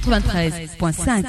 93.5.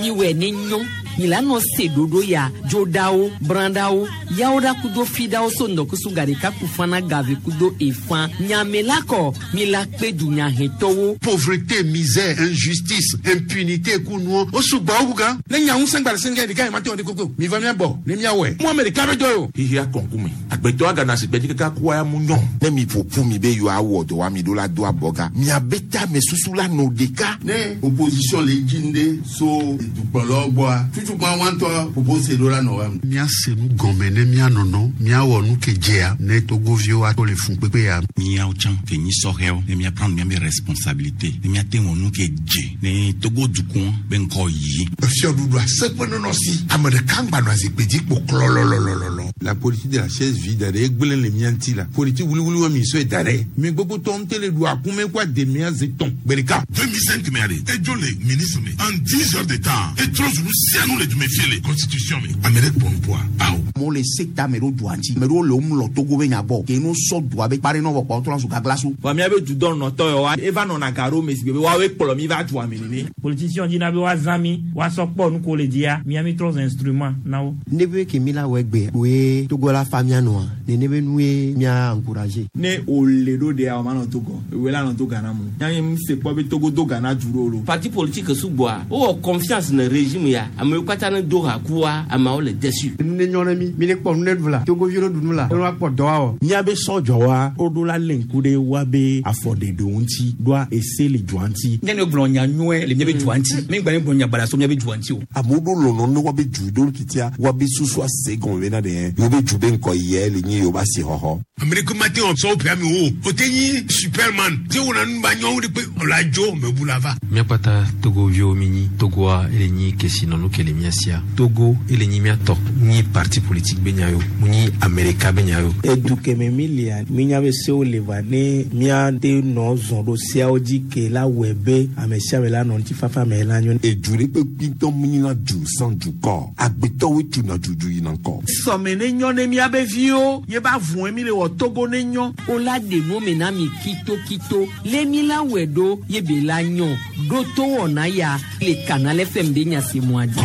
Miwɛ ne nyɔ milano se ɖoɖo ya dzoɖawo brãɖawo yawoɖa kudo fiɖawo so ŋdɔkusu gaɖeka kufana gave kudo efã nyamela kɔ mila kpe dunyahetɔwo. Pauvreté, misère, injustice, impunité kunuɔ o sugbɔ wu gan. Ne nya ŋusẽ gba le sɛngɛ ɖeka yi ma te wɔ ɖe koko mi va mia bɔ ne mia wɔe. Mu ame ɖeka be dɔ ye o. Xixia kɔnkume agbetɔ agana si gbedzi kaka kua ya mu nyɔ. Ne mi ƒoƒu mi be yewoawɔ dɔ wa mi ɖo la do abɔga miabe tame susu la nɔ ɖeka. Ne opposition le dzi ɖe so dukplɔlawo gbɔa tutukpa wɔntɔ propose ɖo la nɔ wa. Míase nu gɔme ne míanɔnɔ míawɔ nu ke dzea ne togoviwo ato le fun kpekpe ya. Míawo tsã ke nyi sɔhɛwo ne míaprendre míabe responsabilité ne míate wɔ nu ke dze ne Togo dukɔ be ŋkɔ yi. Fiɔɖuɖu aseƒe nɔnɔ si ame ɖeka ŋgba nɔ azikpui dzi kpo klɔlɔlɔlɔlɔ. La politique de la chaise vide ɖe egblẽ le mía ŋuti la politique wuliwuli wa mi sɔe da ɖe mi gbogbo tɔ ŋutɛ le ɖu akume kó ademea zi tɔn gbe ɖeka. 2005 mɛ ale edzo le ministre me en 10 heures de temps etrɔ zu nu sia nu le dume fie le constitution me ame ɖe kpɔ nuƒoa awo. Amewo le se ta ame ɖewo dua ŋuti ame ɖewo le wo mlɔ Togo be nya gbɔ ke no sɔ dua be kpa ɖe nɔ vɔ kpɔ wotrɔ zu gaglasu. Vɔ míabe dudɔnɔtɔ yawoa eva nɔna ga ɖo me si gbe be woawoe kplɔ mi va dua me nene. Politicien dina be woazã mi woasɔ kpɔ nu ko le dzia mía mi trɔ zu instrument na wo. Ne be ke mi la wɔ egbe woe Togo la fa mía nɔa nene be nue mía encourager. Ne wòle ɖo ɖea o manɔ Togo ewoe la nɔ to Ghana mo. Nya nye se kpɔ be Togo do Ghana du ɖo lo. Parti politique sugbɔa wowɔ confiance ne régime ya amewo katã ne do ha kua ameawo le déçu. Nu ne nyɔ ne mi mi ne kpɔ nu ne ɖu la Togoviwo ne ɖu nu la ne woakpɔ dɔ awɔ. Míabe sɔdzɔwa woɖo la lé ŋku ɖe woabe afɔɖeɖewo ŋuti ɖoa ese le dua ŋuti. Nye ne gblɔ nya nyuie le míabe dua ŋuti mi gba ne gblɔ nya baɖa so míabe dua ŋuti o. Amewo ɖo lɔlɔ ne woabe du ɖo titia woabe susu ase gɔme bena ɖe yewo be du be ŋkɔ yie le nye yewo be asixɔxɔ. Ame ɖeke mate ŋu sɔ woƒe amewo o. O te nyi Superman te wɔna nu ba nyɔwo ɖe kpe o la dzo mebu la va. Míakpata Togoviwo mi nyi Togoa ele nyi kesinɔnu ke le mía sia. Togo ele nyi mía tɔ. Nyi parti politique be nya yo. Mu nyi Amerika be nya yo. Edu keme mi lia mínya be sewo le va ne míate nɔ zɔn ɖo seawo dzi ke la wɔe be ame sia ame la nɔ ŋutifafa me la nyo. Edu ɖe kpe kpitɔ mu nyina du sans dukɔ. Agbetɔwoe tuna dudu yina ŋkɔ. Sɔme ne nyɔ ne míabe viwo ye ba vɔe mi le wɔ Togo ne nyɔ. O la ɖe nu me na mi kitokito le mi la wɔe ɖo ye be la nyɔ ɖo to wɔna ya le Canal FM be nyasemɔa dzi.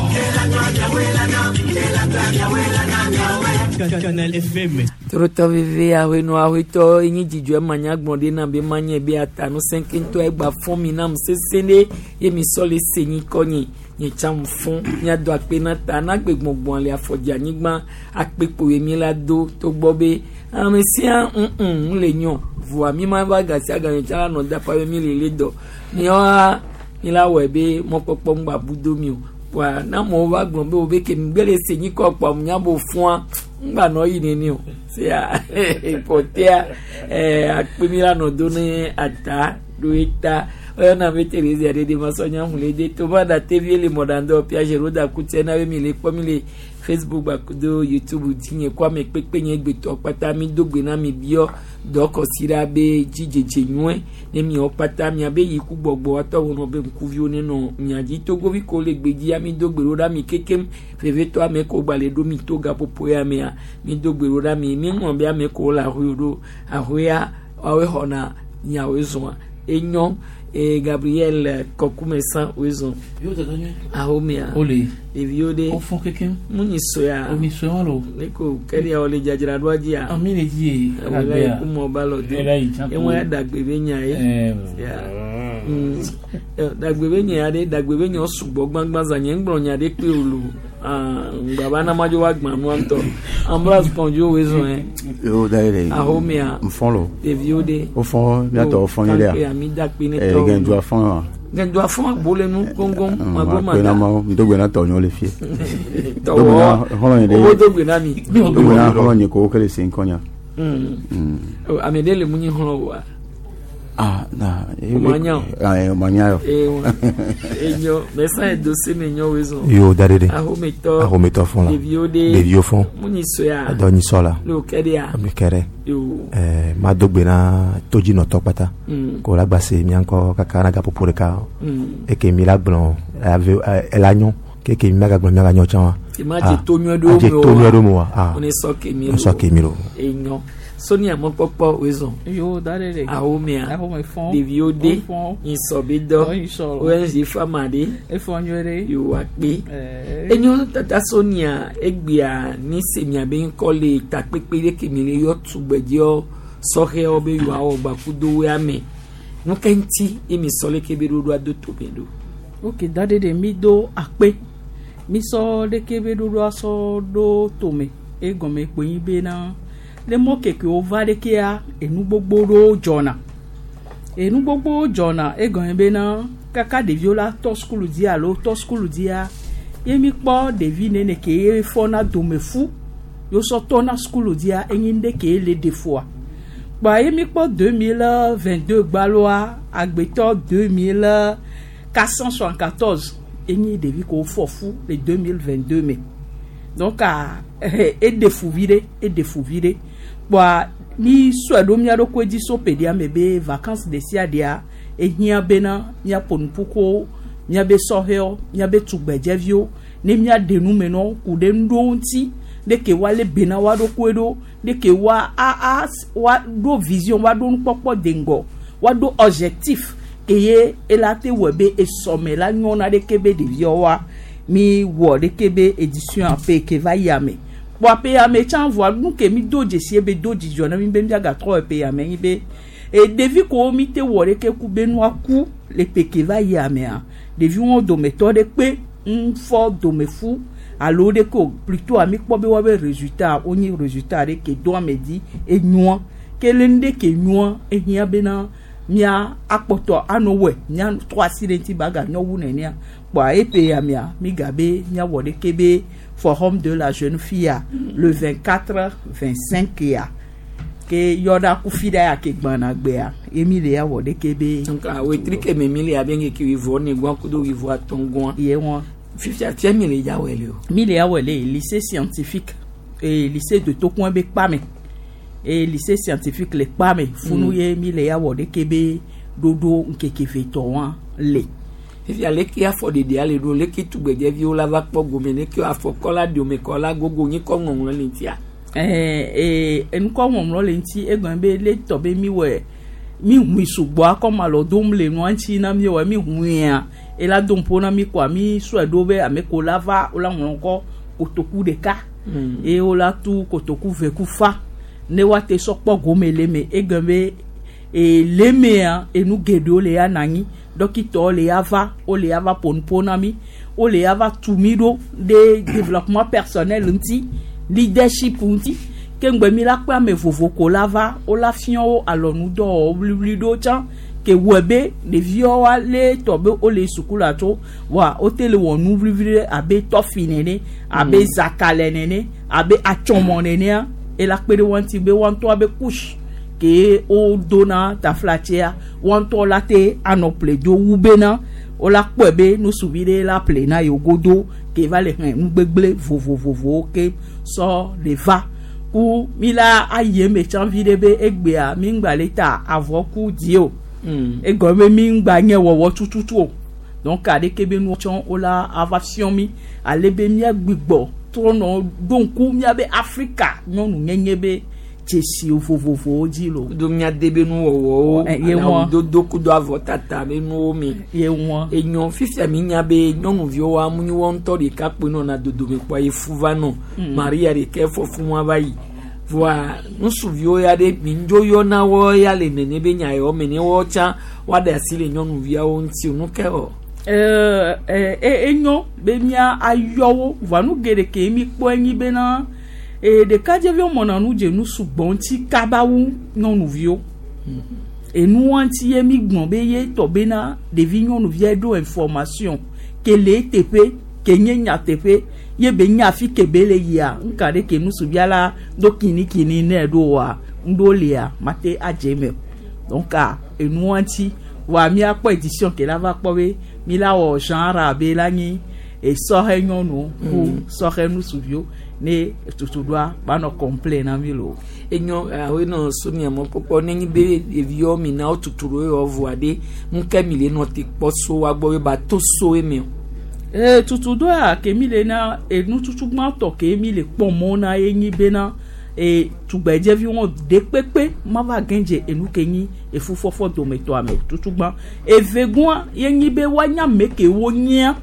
Canal FM. Torotɔ veve ahɔenɔ ahɔetɔ enyi dzidzɔ ema nyagbɔn ɖe na be manye be ata nu sɛnkɛntɔ egba fɔn mi nam sese ɖe ye mi sɔ le se nyi kɔ nyi nye tsã mu fɔn miado akpe na ta na gbe gbɔngbɔn le afɔdzi anyigba akpe kpo ye mi la do togbɔ be ame sia ŋ le nyɔ voa mi ma va gasi agame tsã la nɔ dapa be mi le le dɔ miawoa mi la wɔe be mɔkpɔkpɔ ŋgba bu do mi o voa na amewo va gblɔ be wo be ke mi gbe le se nyi kɔ kpɔ nya bo fɔa ŋgba nɔ yi nene o sea pɔtea ɛɛ akpe mi la nɔ do ne ata ɖo eta oyɔna be Thérésia ɖe de ma sɔ nya hu le de to va da tevi le mɔɖandɔ Piaget ro da kutsɛ na be mi le kpɔ mi le Facebook gbakudo YouTube dzi nye kɔ ame kpekpe nye gbetɔ kpata mi do gbe na mi biɔ dɔkɔsi ɖa be dzidzedze nyuie ne miawo kpata miabe yi ku gbɔgbɔ atɔ wɔnɔ be ŋkuviwo ne nɔ mia dzi togovi ko le gbe dzia mi do gbe ɖo ɖa mi kekem vevetɔ ame ko gba le ɖo mi to gaƒoƒo ya mea mi do gbe ɖo ɖa mi mi ŋlɔ be ame ko le ahoe ɖo ahoea woawoe xɔna nyawoe zɔa enyɔ e Gabriel Kɔkumesan woe zɔn ahomea Ole. ɖeviwo ɖe Wo fɔn kekem. mu nyi soya O mi soya wa lo. ne ko kɛɖia wo le dzadzraɖoa dzia Ami le dzi ye. ewo la yi kumɔ ba lɔ do Ela yi tsã ko. eŋua ya dagbe be nya ye Ɛɛ. Ya. Dagbe be nya ɖe dagbe be nya sugbɔ gbãgbã zã nye ŋgblɔ nya ɖe kpe wòlo ŋgbaba na madzo wa gbã nua ŋutɔ Ambroise Kɔndzo woe zɔn yɛ Yo da yɛrɛ. ahomea N fɔn lo. ɖeviwo ɖe O fɔn miatɔ o fɔn yi kanke dɛ. ami dakpe ne Ɛɛ tɔwo gɛndu a fɔn wa. gɛndu afɔn agbo le nu góngón magbo Akpe ma na da ma n dogbe na tɔ nyɔ le fie. tɔwɔ Hɔrɔn yi owó de. dogbe na mi Dogbe na hɔrɔn yi ko o kɛlɛ sen kɔnya. Ame ɖe le mu nyi xlɔ wa. Ah na. O ma nya o. Ayi o ma nya yɔ. Ewa enyo mɛsan edose ne nyɔ woe zɔn. Yo da ɖe ɖe. Ahometɔ Ahometɔ fɔn la. Ɖeviwo ɖe Ɖeviwo fɔn. mu nyi soya. Dɔ nyi sɔ la. Ne o kɛ ɖea. Ami kɛ ɖe. Yo. Ɛɛ ma do gbe na todzinɔtɔ kpata. Ko la gba se mía ŋkɔ kaka na gaƒoƒo ɖeka. Eke mi la gblɔ ave ela nyɔ. Keke mi magagblɔ miaganyɔ tsã wa. Ema dze to nyuie ɖo adze me to oa? nyuie ɖo me oa? Ah. One sɔ ke mi Ne sɔ ke mi lo. Enyo. Sonia mɔkpɔkpɔ wezɔn. Yo, da ɖe ɖe. Ahomea. Ahome fɔn. Ɖeviwo de. Wo fɔn. Nyisɔ be dɔ. Wo nyisɔ lo. ONG fama ɖe. Efɔ nyuie ɖe. Yewoa kpe. Ɛɛ. Enyo tata Sonia egbea ni se miabe ŋkɔ le takpekpe ɖe ke mi le yɔ tugbedzewo sɔhɛwo be yewoawɔ gbakudo woa me. Nu ke ŋuti ye mi sɔ leke be ɖoɖoa do tome ɖo. Ok, da ɖe ɖe mi do akpe. Mi sɔ ɖeke be ɖoɖoa sɔ ɖo tome. Egɔme kpoe nyi bena le mɔ keke wova ɖekea enu gbogbo ɖewo dzɔna. Enu gbogbo dzɔna egɔme bena kaka ɖeviwo la tɔ sukulu dzi alo tɔ sukulu dzia ye mi kpɔ ɖevi nene ke ye fɔna dome fu ye wosɔ tɔna sukulu dzia enyi nu ɖe ke le ɖe fua. Kpoa ye mi kpɔ 2022 gbaloa agbetɔ 2474 enyi ɖevi ke wofɔ fu le 2022 me. Donc a eɖe fu vi ɖe eɖe fu vi ɖe kpoa mi sɔe ɖo mía ɖokui dzi so ƒe me be vacances ɖe sia ɖea ehiã bena míaƒo nu ƒu ko míabe sɔhɛwo míabe tugbedzeviwo ne míaɖe nu me nɔ ku ɖe nu ɖewo ŋuti ɖeke woalé be na woa ɖokui ɖo ɖeke woa a a woa ɖo vision woa ɖo nukpɔkpɔ de ŋgɔ woa ɖo objectif ke ye ela te wɔ be esɔme la nyɔna ɖeke be ɖeviawoa mi wɔ ɖeke be édition ƒe ke va yia me kpoa ƒe ya me tsã voa nu ke mi do dzesi ye be do dzidzɔ na mi be miagatrɔ ƒe ya me nyi be e ɖevi kewo mi te wɔ ɖeke ku be nua ku le ƒe ke va yia mea ɖeviwo dometɔ ɖe kpe ŋfɔ dome fu alo ɖeke o plutôt mi kpɔ be woabe résultat wonye résultat ɖe ke do ame dzi enyoa ke le nu ɖe ke nyoa ehiã bena mía akpɔtɔ anɔ wɔe mía trɔ asi ɖe ŋuti ba ganyɔ wu nenea kpoa eƒe ya mea mi gabe míawɔ ɖeke be forum de la jeune fille le 24 25 ya ke yɔɖa kufi ɖa ya ke gbãna gbea ye mi le ya wɔ ɖeke be. Donc wetri ke me mi le abe ŋkeke wuieve ne gɔn kudo wuieve atɔ̃ gɔn. Ye wɔn. Fifia fia mi le ya wɔ le o. Mi le ya wɔ le lycée scientifique et lycée de Tokoin be kpame et lycée scientifique le kpame funu ye mi le ya wɔ ɖeke be ɖoɖo ŋkeke ve tɔ wa le. Fifia leke afɔɖeɖea le ɖo leke tugbedzeviwo la va kpɔ gome leke afɔkɔla domekɔla gogo nyi kɔ ŋɔŋlɔ le ŋutia. Ɛɛ enukɔ ŋɔŋlɔ le ŋuti egɔme be le tɔ be mi wɔ mi hui sugbɔ akɔma lɔ dom le nua ŋuti na mi wɔ mi huia ela do ŋpo na mi koa mi sɔe ɖo be ame ko la va wola ŋlɔ ŋkɔ kotoku ɖeka eye wola tu kotoku ve ku fa ne woate sɔ kpɔ gome le me egɔme be e le mea enu geɖewo le ya na anyi dɔkitɔwo le ya va wole ya va ƒo nuƒo na mi wole ya va tu mi ɖo ɖe développement personnel ŋuti leadership ŋuti ke ŋgbe mi la kpe ame vovo ko la va wola fia wo alɔnudɔwɔwɔ wliwli ɖewo tsã ke wɔe be ɖeviwo wa le tɔ be wole sukulu tso wa wote le wɔ nu wliwli ɖe abe tɔfi nene abe zakalɛ nene abe atsɔmɔ nenea ela kpe ɖe wo ŋuti be woa ŋutɔ be couche ke wodona taflatsia woa ŋutɔ la te anɔ ƒle do wu bena wola kpɔe be nusuvi ɖe la ƒle na yewo godo ke va le hɛn nugbegble vovovovowo ke sɔ le va ku mi la ayi eme tsã vi ɖe be egbea mi ŋgba le ta avɔ ku di o egɔme be mi ŋgba nye wɔwɔ tututu o donc aɖeke be nu tsɔ wola ava fiɔ mi ale be míagbigbɔ trɔ nɔ ɖo ŋku míabe Afrika nyɔnu nyenye be dzesi vovovowo dzi lo. Kudo míade be nuwɔwɔwo Ye wɔn. dodo kudo avɔtata be nuwo me. Ye wɔn. Enyɔ fifia mi nya be nyɔnuviwo wa mu nyi wɔn ŋutɔ ɖeka kpoe nɔna dodome kpoa ye fu va nɔ. Maria ɖeka fɔ fu wa va yi. Voa ŋutsuviwo ya ɖe mi ŋdzo yɔna wɔ ya le nene be nya yawo me ne wɔ tsã woaɖe asi le nyɔnuviawo ŋuti o nu ke wɔ. Ɛɛ enyo be mía ayɔ wo voa nu geɖe ke mi kpɔ enyi bena e ɖekadzeviwo mɔna nu dze nu sugbɔ ŋuti kaba wu nyɔnuviwo enua ŋuti ye mi gblɔ be ye tɔ bena ɖevi nyɔnuvia ɖo information ke le eteƒe ke nye nyateƒe ye be nya afi ke be le yia ŋka ɖe ke nusuvia la do kinikini nɛ ɖo wa ŋɖo lia mate adze eme o donc enua ŋuti wa míakpɔ édition ke la va kpɔ be mi la wɔ genre abe la nyi esɔhɛ nyɔnu ku sɔhɛ nusuviwo ne tutuɖoa banɔ complain na mi lo. Enyo awo nɔ Sonia mɔkpɔkpɔ nenyi be ɖeviwo mi na wo tutu ɖo yɔ voa ɖe nu ke mi le nɔ te kpɔ so wa gbɔ be ba to so eme o. Ee tutuɖo ya ke mi le na enututu gbãtɔ ke mi le kpɔ mɔ na ye nyi bena e tugbedzeviwo ɖe kpekpe ma va gɛdze enu ke nyi efufɔfɔ dometɔa me tutu gbã. Evegɔa ye nyi be woanya ame ke wonyia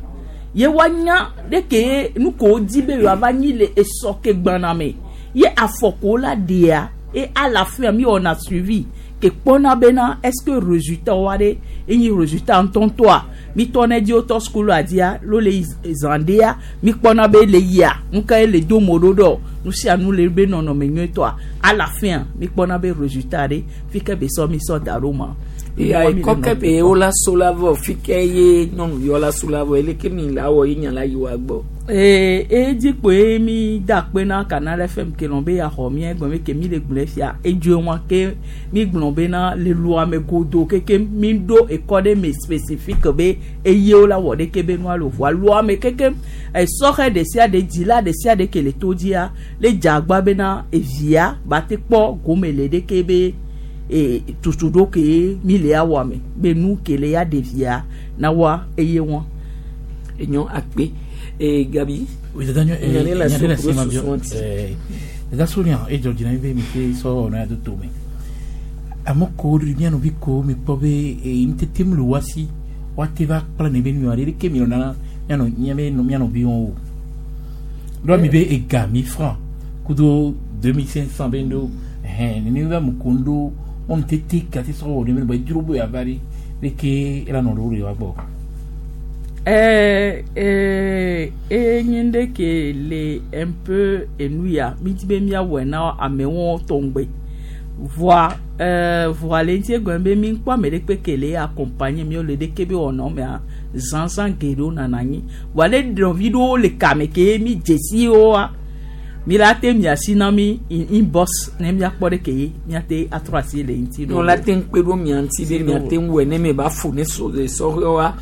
ye woanya ɖe ke nu ke wodi be yewoava nyi le esɔ ke gbãna me ye afɔkuwo la ɖea et à la fin mi wɔna suivi ke kpɔna bena est ce que résultat wa ɖe enyi résultat ŋutɔŋutɔa mi tɔ ne dzi wotɔ sukulu dia lo le yi zã ɖea mi kpɔna be le yia nu ka ye le do mo ɖo ɖɔ nu sia nu le be nɔnɔme nyuietɔa à la fin mi kpɔna be résultat ɖe fi ke be sɔ mi sɔ da ɖo ma. Eya ekɔ ke be wola so la vɔ fi ke ye nyɔnuviwo la so la vɔ eleke mi la wɔ ye nya la yi wa gbɔ. Ee edzi kpoe mi da akpe na Canal FM ke lɔn be yaxɔ mía gblɔ be ke mi le gblɔe fia edzoe wa ke mi gblɔ bena le lua me godo keke mi ɖo ekɔ ɖe me spécifique be eyewo la wɔ ɖeke be nua le ʋua lua me keke esɔxɛ ɖe sia ɖe dzila ɖe sia ɖe ke le to dzia le dze agba bena evia ba te kpɔ gome le ɖeke be e tutu ɖo ke mi le awɔ me be nu ke le ya ɖevia na wa eye wa. Enyo akpe e Gabi. Oui, dada nyo Nya ne la nya so ɖe le kudo si ma susu bio. ŋuti. Dada Sonia edzɔ dzi na mi be mi te sɔ wɔna ya do to me. Ame kewo ɖi mía nɔvi kewo mi kpɔ be ŋutete mu le woa si woate va kpla ne be nu aɖe ɖeke mi lɔna mía nɔ mía be mía nɔviwo o. Ɖoa mi be ega 1000 francs kudo 2500 be ŋɖo ɛhɛn nene be ame kewo ŋɖo wo ŋutete gate sɔ wɔ ne be be dzro be yeava ɖe ɖeke ela nɔ ɖo ɖe wa gbɔ. Enye ɖe ke le un peu enu ya mi di be míawɔe na amewo tɔŋgbe voa voa le ŋuti egɔme be mi kpɔ ame ɖe kpe ke le accompagner mi le ɖeke be wɔnɔ mea zãzã geɖewo nana anyi voa le ɖɔvi ɖewo le kame ke mi dzesi woa mi la te mia si na mi inbox ne miakpɔ ɖe ke ye miate atrɔ asi le ŋuti No la te ŋu kpe ɖo mia ŋuti be mia te ŋu wɔe ne mi ba fo ne so le sɔhɛwoa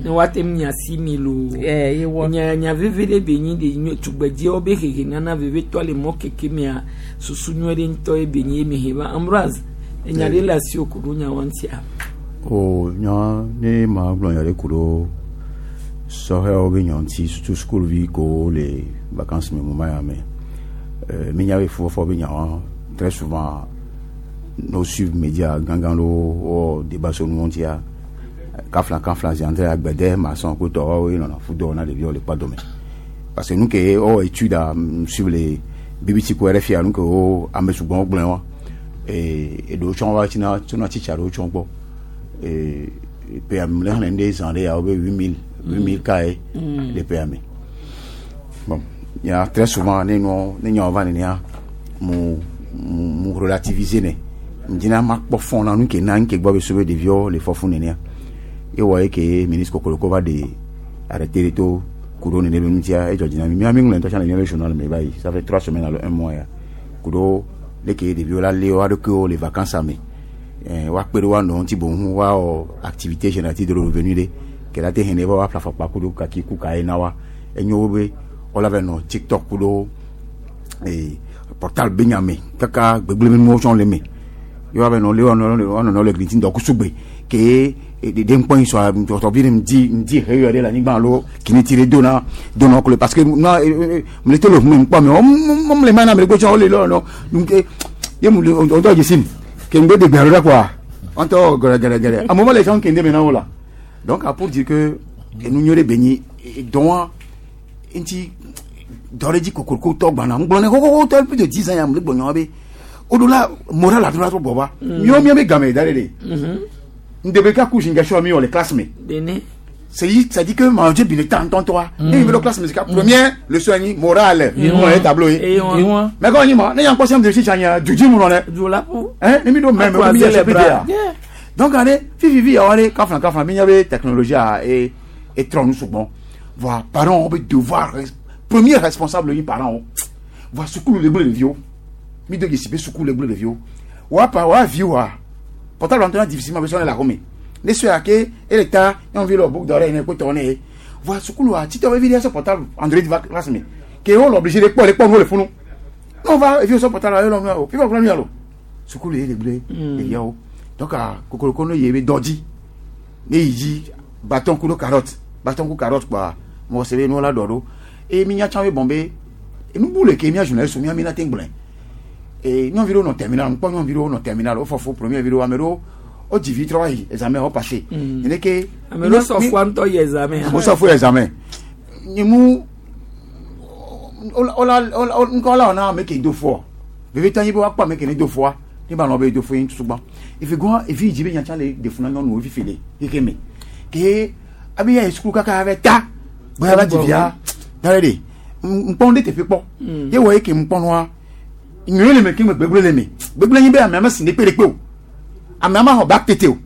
ne woate mia si mi lo. Ye wɔ. Nya nya veve ɖe be nyi de nyo tugbedzewo be hehe nana veve tɔ le mɔ keke mea susu nyuie ɖe ŋutɔ ye be nyi ye mi he va Ambroise enya ɖe le asi wo ku ɖo nya wa ŋutia. O nya ne ma gblɔ nya ɖe ku ɖo sɔhɛwo be nya ŋuti surtout sukuvi kewo le vacances me moment ya me mi nya be fufɔfɔ be nyawo très souvent no suivre média gãgã ɖewo wɔ débat so nu ŋutia kafla kafla zi entre agbede maçon ku tɔwo ye nɔna fu dɔwɔ na ɖeviwo le kpadome parce que nu ke wowɔ étude a suivre le BBC ku RFI nu ke wo ame sugbɔwo gblɔe wa eɖewo tsɔ va tsina tsona tsitsi aɖewo tsɔ gbɔ ƒea me le xlẽ ɖe zã ɖe ya wo be 8000 ka ye le ƒea me. Bon, ya très souvent ne nɔ ne nyawo va nenea mu mu mu relativiser ne ŋdina ma kpɔ fɔn na nu ke na nu ke gbɔ be so be ɖeviwo le fɔfu nenea ewɔ ye ke ministre Kokoloko va de arrêté de to ku ɖo nene be ŋutia edzɔ dzi na mi mía mi ŋlɔ ŋutɔ tsã le míabe journal me va yi. Ça fait 3 semaines alo un mois ya ku ɖo leke ɖeviwo la lé woa ɖokuiwo le vacances me woakpe ɖe woa nɔwo ŋuti boŋ woawɔ activité génératrice de revenu ɖe ke la te hɛn ne va woaƒle afɔkpa ku ɖo kaki ku ka ye na wa enyo wo be wola va nɔ TikTok ku ɖo portable be nya me kaka gbegblẽ nuwo tsɔ le me ye woava nɔ le woanɔ le gli ŋdɔ kusugbe ke ɖe ŋkpɔ yi sɔ tɔtɔvi ɖe ŋdi ŋdi he yɔ ɖe le anyigba alo kiniti ɖe dona dona kule parce que na mle to le ʋume ŋkpɔ me wɔm le mana me ɖe tsɔ wole lɔ nɔ donc ye mu le ɔdɔ dzesi ke ŋgbe de gbe alo ɖe quoi ɔntɔ gɛrɛgɛrɛgɛrɛ a moment le tsɔ kende me na wo la. Donc pour dire que enu nyuie ɖe be nyi dɔn ŋuti dɔ ɖe dzi kokoroko tɔ gbana ŋgblɔ ne xoxoxo tɔ plus de 10 ans ya mle gbɔnyɔ be o do la moral la do la to bɔ va miwo mía be game da ɖe ɖe ndebe ka kusi nga mi wɔ le classe me. Dene. C'est dit que manger bi le temps ntɔntɔa ne yi be classe musique première leçon anyi morale ŋlɔ ye tableau ye mais quand anyi ma ne yan kpɔ sɛm de si tsanya dudi mu nɔ dɛ Du la ƒu. Hein ne mi do mɛ mɛ mi yɛ CPD ya donc ale fififi yawo ale kafla kafla mi nya be technologie a e e trɔ nu sugbɔn voa parents be devoir premier responsable yi parents wo voa sukulu le gblẽ ɖeviwo mi do dzesi be sukulu le gblẽ ɖeviwo wa pa wa vi wa portable ŋutɔ na difficilement be sɔ ne le axɔme ne sɔe ake ele ta nyɔnuvi le boucle d'oreille ne kpetɔ ne ye voa sukulu a titɔ be vi ɖe sɔ portable Android va classe me ke wo le obligé de kpɔ le kpɔ nuwo le funu ne wo va evi sɔ portable ye lɔ nu o fi va kplɔ nu ya lo sukulu ye le gblẽ ɖeviawo. Donc kokoroko ne ye be dɔ dzi ne yi dzi bâton ku ɖo carotte bâton ku carotte kpoa Mo se be nu la dɔ ɖo. Eye mi nya tsã be bɔn be enubu le ke mia journaliste mia mi la te gblɔe. E nyɔnuvi ɖewo nɔ terminal, ŋkpɔ nyɔnuvi ɖewo nɔ terminal, wo fɔ fu premier vi ɖewo, ame ɖewo wo dzi vi trɔ va yi examen wo passé. Nene ke. Ame ɖewo sɔ fua ŋutɔ yi examen. Wo sɔ fu examen. Nye mu wola wola ŋkɔ la wɔna ame ke do fua. Vevitɔ nyi be woakpɔ ame ke ne do fua, ne ba lɔ be do fu ye ŋutu gbã. Efi gɔn efi yi dzi be nyatsã le de fu na nyɔnuwo fifi le xexe me. Ke abe ya yi sukulu kaka ave ta be ava dzi via da ɖe ɖe ŋkpɔ ɖe teƒe kpɔ. Ye wɔ ye ke ŋkpɔ nua nyuie le me ke me gbegblẽ le me. Gbegblẽ nyi be amea me si ne kpe ɖe kpe o. Amea ma xɔ bac tete o.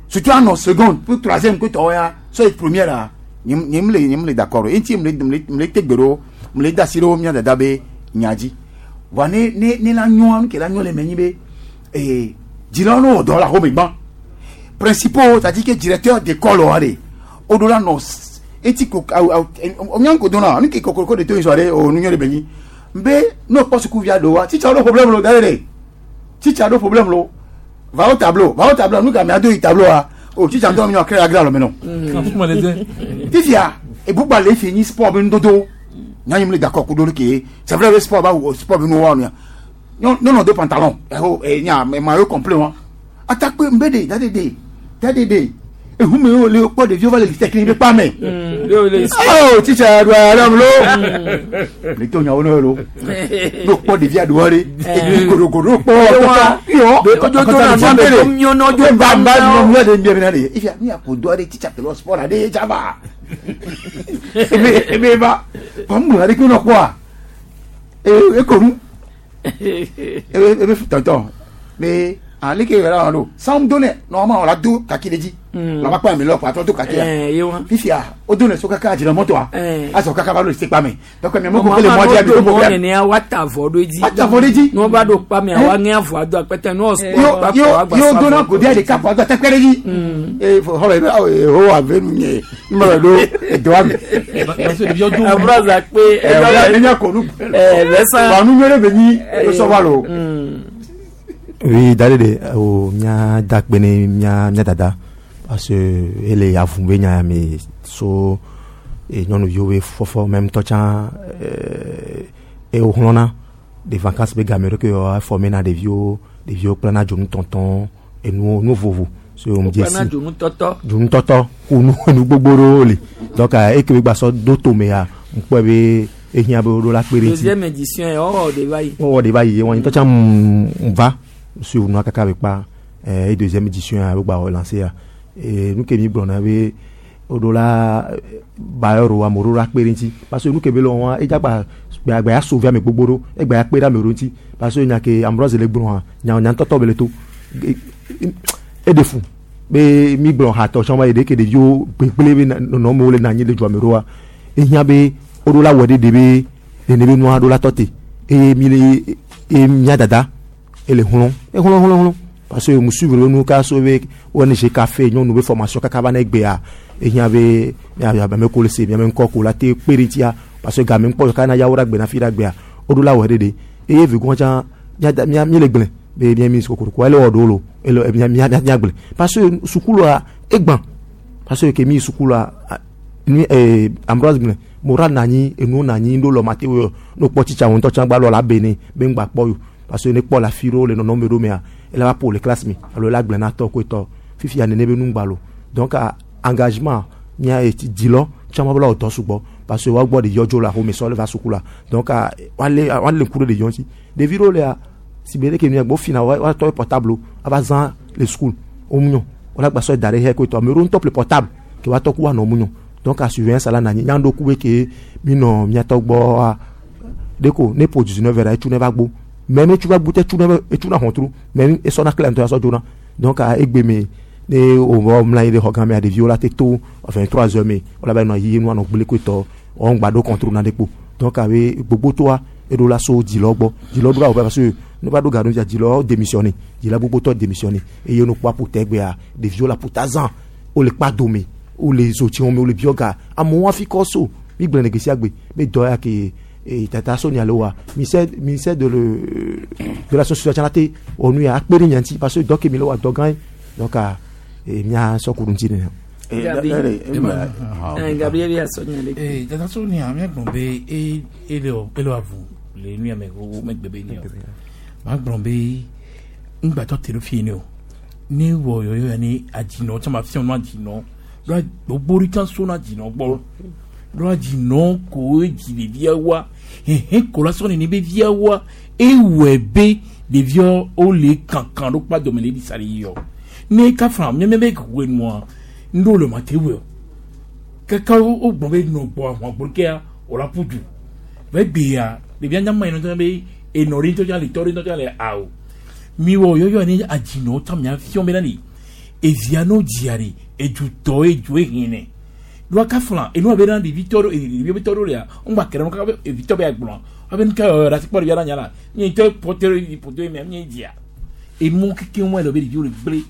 Surtout anɔ seconde pour troisième ke tɔwɔ ya sɔ yi première la nye nye mle nye mle d'accord o. Eŋuti mle mle mle te gbe ɖo mle da asi ɖo mía dada be nya dzi. Vɔa ne ne ne la nyɔa nu ke la nyɔ le me nyi be ee dzilawo ne wɔ dɔ le axome gbã. Principaux c'est-à-dire que directeur d'école wa ɖe woɖo la nɔ eti ko awu awu mía ŋko dona nu ke kokoroko de to yi sɔ ɖe o nu nyɔ ɖe be nyi. Be ne wokpɔ sukuvia ɖewoa titsa ɖo problème lo da ɖe ɖe titsa ɖo problème lo va au tableau va au tableau nu gamea do yi tableau a o titsa ŋutɔ mi nɔ kre agra lɔ me nɔ. Fifia ebugba le fi nyi sport be nudodo nyanyi mi le d'accord kudo ɖe ke c'est vrai be sport ba wɔ sport be nuwo wa nuya nyɔnɔ do pantalon ɛho enya maillot complet wa atakpe nbe de da de de da de de ehume wo le kpɔ ɖeviwo va le litekini be kpa me. Oh titsa ɖo aɖe lo le to nyawo ne lo no kpɔ ɖevia ɖo ɖe godogodo kpɔ yɔ ba ba nɔ nua ɖe mbia bena ɖe ifia mi ako do aɖe titsa ke lɔ sport aɖe tsaba ebe ebe ba kɔmu aɖe ke nɔ kpɔa ekonu ebe ebe tɔntɔn be ale ke yɛrɛ la do san do ne normalement la do kaki de dzi la ma kpɔ ame lɔ kɔ atrɔ do kaki ya fifia o do ne so kaka dzina mɔtoa azɔ kaka va ɖo se kpa me donc mi mɔkò kele mɔ dzi do problème nene wa ta avɔ ɖo dzi wa ta avɔ ɖe dzi n'o ba do kpa mea wa ŋe avɔa do akpɛtɛ n'o sɔ yo yo do na godia ɖeka kɔ ado atakpɛ ɖe dzi ee xɔlɔ yi bɛ awo yehowa ave nu nye n bɛ do edoa me. Ambroise akpe ɛ enya ko nu ɛ wa nu nyuie ɖe be nyi esɔ va lo. Oui, d'aller de o mia dakpe ne mia mia dada parce que ele avu be nya me so e nyɔnuviwo be fɔfɔ même tɔ tsã e wo xlɔna de vacances be game ɖe ke yewoa former na ɖeviwo ɖeviwo kplana dzonutɔtɔ enuwo nu vovo so ŋdze si Wokplana dzonutɔtɔ. Dzonutɔtɔ ku nu enu gbogbo ɖewo li donc eke be gba sɔ do tomea ŋkpɔe be ehiã be woɖo la kpe ɖe ŋuti. Deuxième édition yɛ wɔwɔ de va yi. Wɔwɔ de va yi wɔn tɔ tsã m va suivre nua kaka be kpa e deuxième édition ya be gba wɔ lancer ya e nu ke mi gblɔna be woɖo la bailleur wo amewo ɖo la kpe ɖe ŋuti parce que nu ke be le wɔa edza gba gba ya sauver ame gbogbo ɖo egba ya kpe ɖe ame ɖewo ŋuti parce que nya ke Ambroise le gblɔa nya nya ŋutɔtɔ be le to eɖe fu be mi gblɔ hatɔ tsã va yi ɖe ke ɖeviwo gbegblẽ be nɔnɔmewo le na anyi le dua me ɖoa ehiã be woɖo la wɔ ɖe ɖe be nene be nua ɖo la tɔ te eye mi le eye mia dada ele hlɔ̃ ehlɔ̃ hlɔ̃ hlɔ̃ parce que mu suivre be nu ka so be ONG café nyɔnu be formation kaka va na egbea ehiã be mia ame ko le se miame ŋkɔ ko la te kpe ɖe ŋutia parce que game ŋkpɔ kaka na yawo ɖe agbe na fi ɖe agbea woɖo la wɔ ɖe ɖe eye vegɔn tsã mia mia mi le gblẽ be mia mi kokoroko ele wɔ ɖewo lo ele mia mia mia gblẽ parce que sukulua egbã parce que ke mi sukulua ni Ambroise gblẽ moral na anyi enuwo na anyi ɖo lɔ mate wo no kpɔ tsitsa wo ŋutɔ tsã gba lɔ la be ne be ŋgba kpɔ yo parce que ne kpɔ le afi ɖewo le nɔnɔme ɖo mea ele va ƒo le classe me alo ele agblẽ na tɔ koe tɔ fifia nene be nu ŋgba lo donc engagement mia dzilɔ tsã ma be la wɔ dɔ sugbɔ parce que woagbɔ ɖeviwo dzo le axome sɔ le va sukula donc woalé woalé ŋku ɖe ɖeviwo ŋuti ɖevi ɖewo lea si be ɖeke nua gbɔ fina woatɔ portable ava zã le school womu wala gba sɔ da ɖe xɛ koe tɔ ame ɖewo ŋutɔ ƒle portable ke woatɔ ku woanɔ mu donc a surveillance la na anyi nyaŋɖo ku be ke mi nɔ miatɔ gbɔa ɖeko ne ƒo 19 heures etsu ne va gbo mais ne etsu va gbo te etsu ne etsu na xɔtru mais esɔna clé ŋutɔ asɔ dzona donc egbe me ne o wɔ mla anyi ɖe xɔ gã mea ɖeviwo la te to 23 heures me wala va nɔ yi nua nɔ gblẽ koe tɔ wɔn gba ɖo contrôle na ɖe kpo donc abe gbogbo toa eɖo la so dzilɔ gbɔ dzilɔ ɖo la wɔ parce que ne va ɖo ga ɖo fia dzilɔ démissionné dzila gbogbo tɔ démissionné eye no kpɔ aƒute gbea ɖeviwo le aƒuta zã wole kpa dome wole zotsiwo me wole biɔ ga amewo hafi kɔ so mi gblẽ le gbe sia gbe be dɔ ya ke e tata Sonia le wa ministère ministère de le de la société la te wɔ nu ya akpe ɖe nya ŋuti parce que dɔ ke mi le wa dɔ gã ye donc e mia sɔ ku ɖe ŋuti nene. Gabi. Gabriel ya sɔ nya ɖe. Ee dada so ni a míagblɔ be e ele o ele avu le nu ya me wo megbe be ni o. Magblɔ be ŋgbàtɔ te ɖo fie ne o. Ne wɔ yɔyɔ ya ne adzinɔ tsã ma fiɔ nu adzinɔ. Ɖo gbogbo ɖe tsã so na adzinɔ gbɔ. Ɖo adzinɔ koe dzi ɖevia wa. Hehe ko la sɔ nene be via wa. Ewɔe be ɖeviawo wole kankan ɖo kpa dome le ɖisa le yiyɔ. Ne kafra míame be wɔ nua ŋɖo le ma te wɔ o. Kaka wo gbɔ be nɔ gbɔ ahɔn gbolokea o la ƒu du. Vɛ gbea ɖevia nyama yi nɔ be enɔ ɖe ŋutɔ tsã le tɔ ɖe ŋutɔ tsã le awo. Mi wɔ yɔyɔ ne adzinɔ tsã mia fiɔ be na ni evia no dzia ɖe edutɔ edzo ehinɛ. Ɖoa kafla enua be na ɖevi tɔ ɖo ɖevi be tɔ ɖo lea ŋgba kɛlɛ kaka be evi tɔ be agblɔ. Abe nuka yɔyɔ ɖe asikpɔ ɖevia na nya la nye ŋutɔ ƒote ɖe ƒote mea nye dzia. Emɔ keke ŋu le be ɖeviwo le gblẽ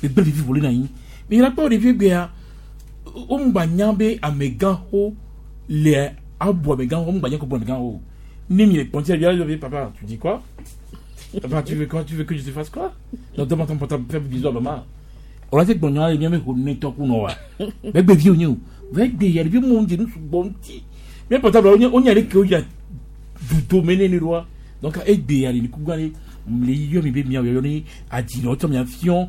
le gblẽ vivi wòle na anyi. Mi la kpɔ ɖevi gbea wo ŋgba nya be amegãxo le abu amegãxo ŋgba nya ko bu amegãxo. Ne mi le kpɔntsi ɖevia le be papa tu dis quoi? Papa tu veux quoi? Tu veux que je te fasse quoi? Donc demande ton portable fais bisou à maman. On a dit que nous avons mis ne tɔ kun wa. Bɛ gbe vi o nye o. Bɛ gbe yɛrɛ bi mun jeni sugbɔ ŋuti. Mɛ portable o nye ale ke o ya dudo mɛ ne ne wa. Donc e gbe yɛrɛ ni kuga ne le yɔ mi be mia yɔ ni adzinɔ tsɔ mia fiɔ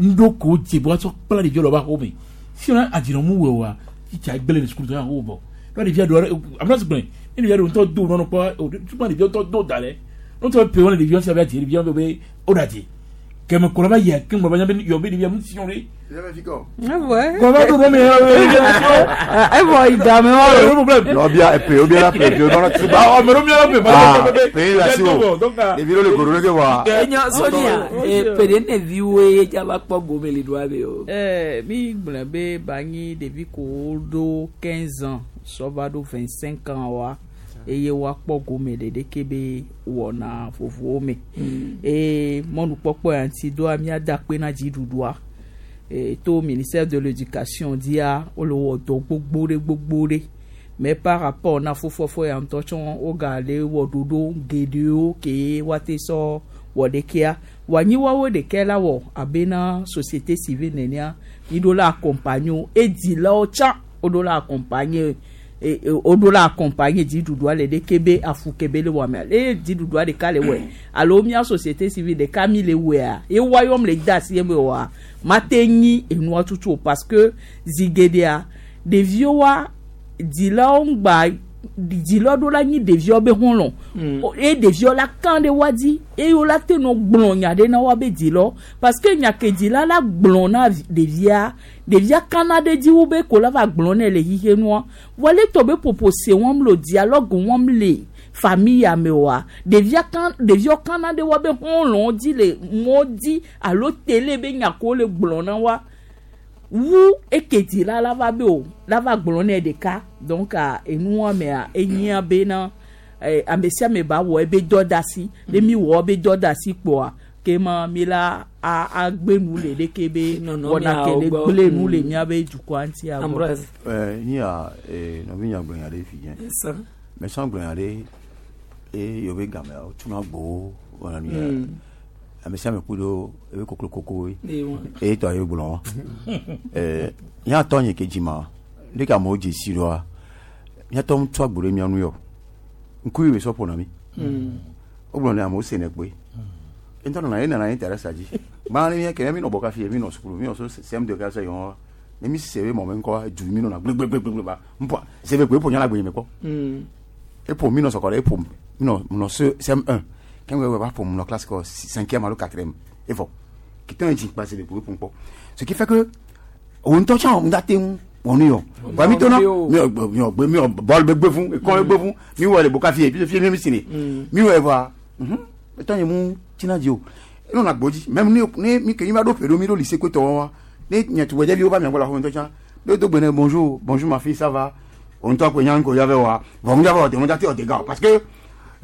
ŋɖo ko dze bo atsɔ kpla ɖeviwo le woƒe axome. Si wona adzinɔ mu wɔ oa, titsa gblẽ le sukulu tɔ ya xoxo vɔ. Ɖo ɖevia ɖo ame ɖe gblẽ ne ɖevia ɖo ŋutɔ do nɔnɔ kpɔ o tuma ɖevia ŋutɔ do da lɛ. Ŋutɔ pe wɔn ɖevia sia be adzi ɖevia be o ɖe adzi. Kɛmɛ kɔlɔ ba yɛ kɛmɛ ba nya be yɔ be ɖevia mu si ɖe. Kɔlɔ do mi Evɔ idame wa o. Nɔ bia pe o bia la pe o nɔnɔ tuba. Awɔ mɛ mi la pe. Ah pe la si o. Ɖevi ɖewo le godo ɖe ke wa. Enyo Sonia ƒe ɖe ne viwoe ye dza va kpɔ gome le ɖoa be o. Mi gblɔ be banyi ɖevi ko ɖo 15 ans sɔ va ɖo 25 ans wa eye woakpɔ gome le ɖeke be wɔna vovowo me. Eye mɔnukpɔkpɔ ya ŋuti doa míada akpe na dziɖuɖua. To ministère de l'éducation dzia wole wɔ dɔ gbogbo ɖe gbogbo ɖe. Mais par rapport na fofofo ya ŋutɔ tsɔ wogale wɔ ɖoɖo geɖewo ke woate sɔ wɔ ɖekea. Wòanyi woawo ɖekɛ la wɔ abe na société civile nenea mi ɖo la accompagner wo. Edzilawo tsã woɖo la accompagner woɖo la accompagner dziɖuɖua le ɖeke be afu ke be le wɔmea. Eye dziɖuɖua ɖeka le wɔe alo mía société civile ɖeka mi le wɔea ye woayɔm le de asi eme oa mate nyi enua tutu o parce que zi geɖea ɖeviwoa dzilawo ŋgba dzilawo ɖo la nyi ɖeviwo be xɔlɔ̃ eye ɖeviwo la kan ɖe woa dzi eye wo la te nɔ gblɔ nya ɖe na woa be dzilawo parce que nya ke dzila la gblɔ na ɖevia ɖevia kana ɖe dzi wo be ko la va gblɔ nɛ le xixe nua vɔ le tɔ be ƒoƒo se wɔm le o dialogue wɔm le famille ya me oa ɖevia kan ɖeviwo kana ɖe woa be xɔlɔ̃wo dzi le mɔ dzi alo télé be nya ko le gblɔ na wa wu eke dzila la va be o la va gblɔ nɛ ɖeka donc enua mea enyia bena ame sia ame ba wɔ ebe dɔ da asi ne mi wɔ ebe dɔ da asi kpoa ke ma mi la agbe nu le ɖeke be wɔna ke le gblẽ nu le míabe dukɔa ŋuti agbɔ. Nia nɔvi nya gblɔ nya ɖe fi dze. Mɛ gblɔ nya ɖe eye yewo be gamea wotuna gbowo wɔna nu ya. Ame sia ame ku ɖo ebe koklo koko ye. Eye tɔ ye gblɔ. Míatɔ nye ke dzi ma ne ke amewo dze si ɖoa míatɔ ŋu tso agbo ɖe mía nu yɔ. Ŋkuvi be sɔ ƒona mi. Wogblɔ ne amewo senɛ kpoe. Ŋutɔ nɔna ye nana intérêt dzi. Gbã ne mía ke mi nɔ bɔ kafi mi nɔ sukulu mi nɔ so CM2 kaka yɔ ne mi se be mɔ me ŋkɔ du mi nɔna gblegbegblegbe ba ŋpɔ se be koe ƒo nya la gbe nye me kpɔ. Eƒo mi nɔ sɔkɔ ɖe eƒo mi nɔ nɔ CM1 kɛmɛ wɛ va ƒo nɔ classe kɔ cinquième alo quatrième evɔ kitɔn yi dzi kpa se be koe ƒo ŋkpɔ. Ce qui fait que òun ŋutɔ tsã ŋu te ŋu wɔ nu yɔ. Wa mi tona mi ɔ mi ɔ gbe mi ɔ bɔl be gbe fún ekɔn be gbe fún mi wɔ le bo kafi ye fi mi si ne mi wɔ evɔa etɔ nye mu tina dzi o enɔ na gbo dzi même ne mi ke mi va ɖo ƒe ɖo mi ɖo lycée kotɔ wa ne nye tugbedzeviwo va mia gbɔ le axɔme ŋutɔ tsã ne do gbe ne bonjour bonjour ma fille ça va òun ŋutɔ koe nya ŋko ya vɛ wa vɔ ŋu ya vɛ wɔ de ŋu date wɔ de ga o parce que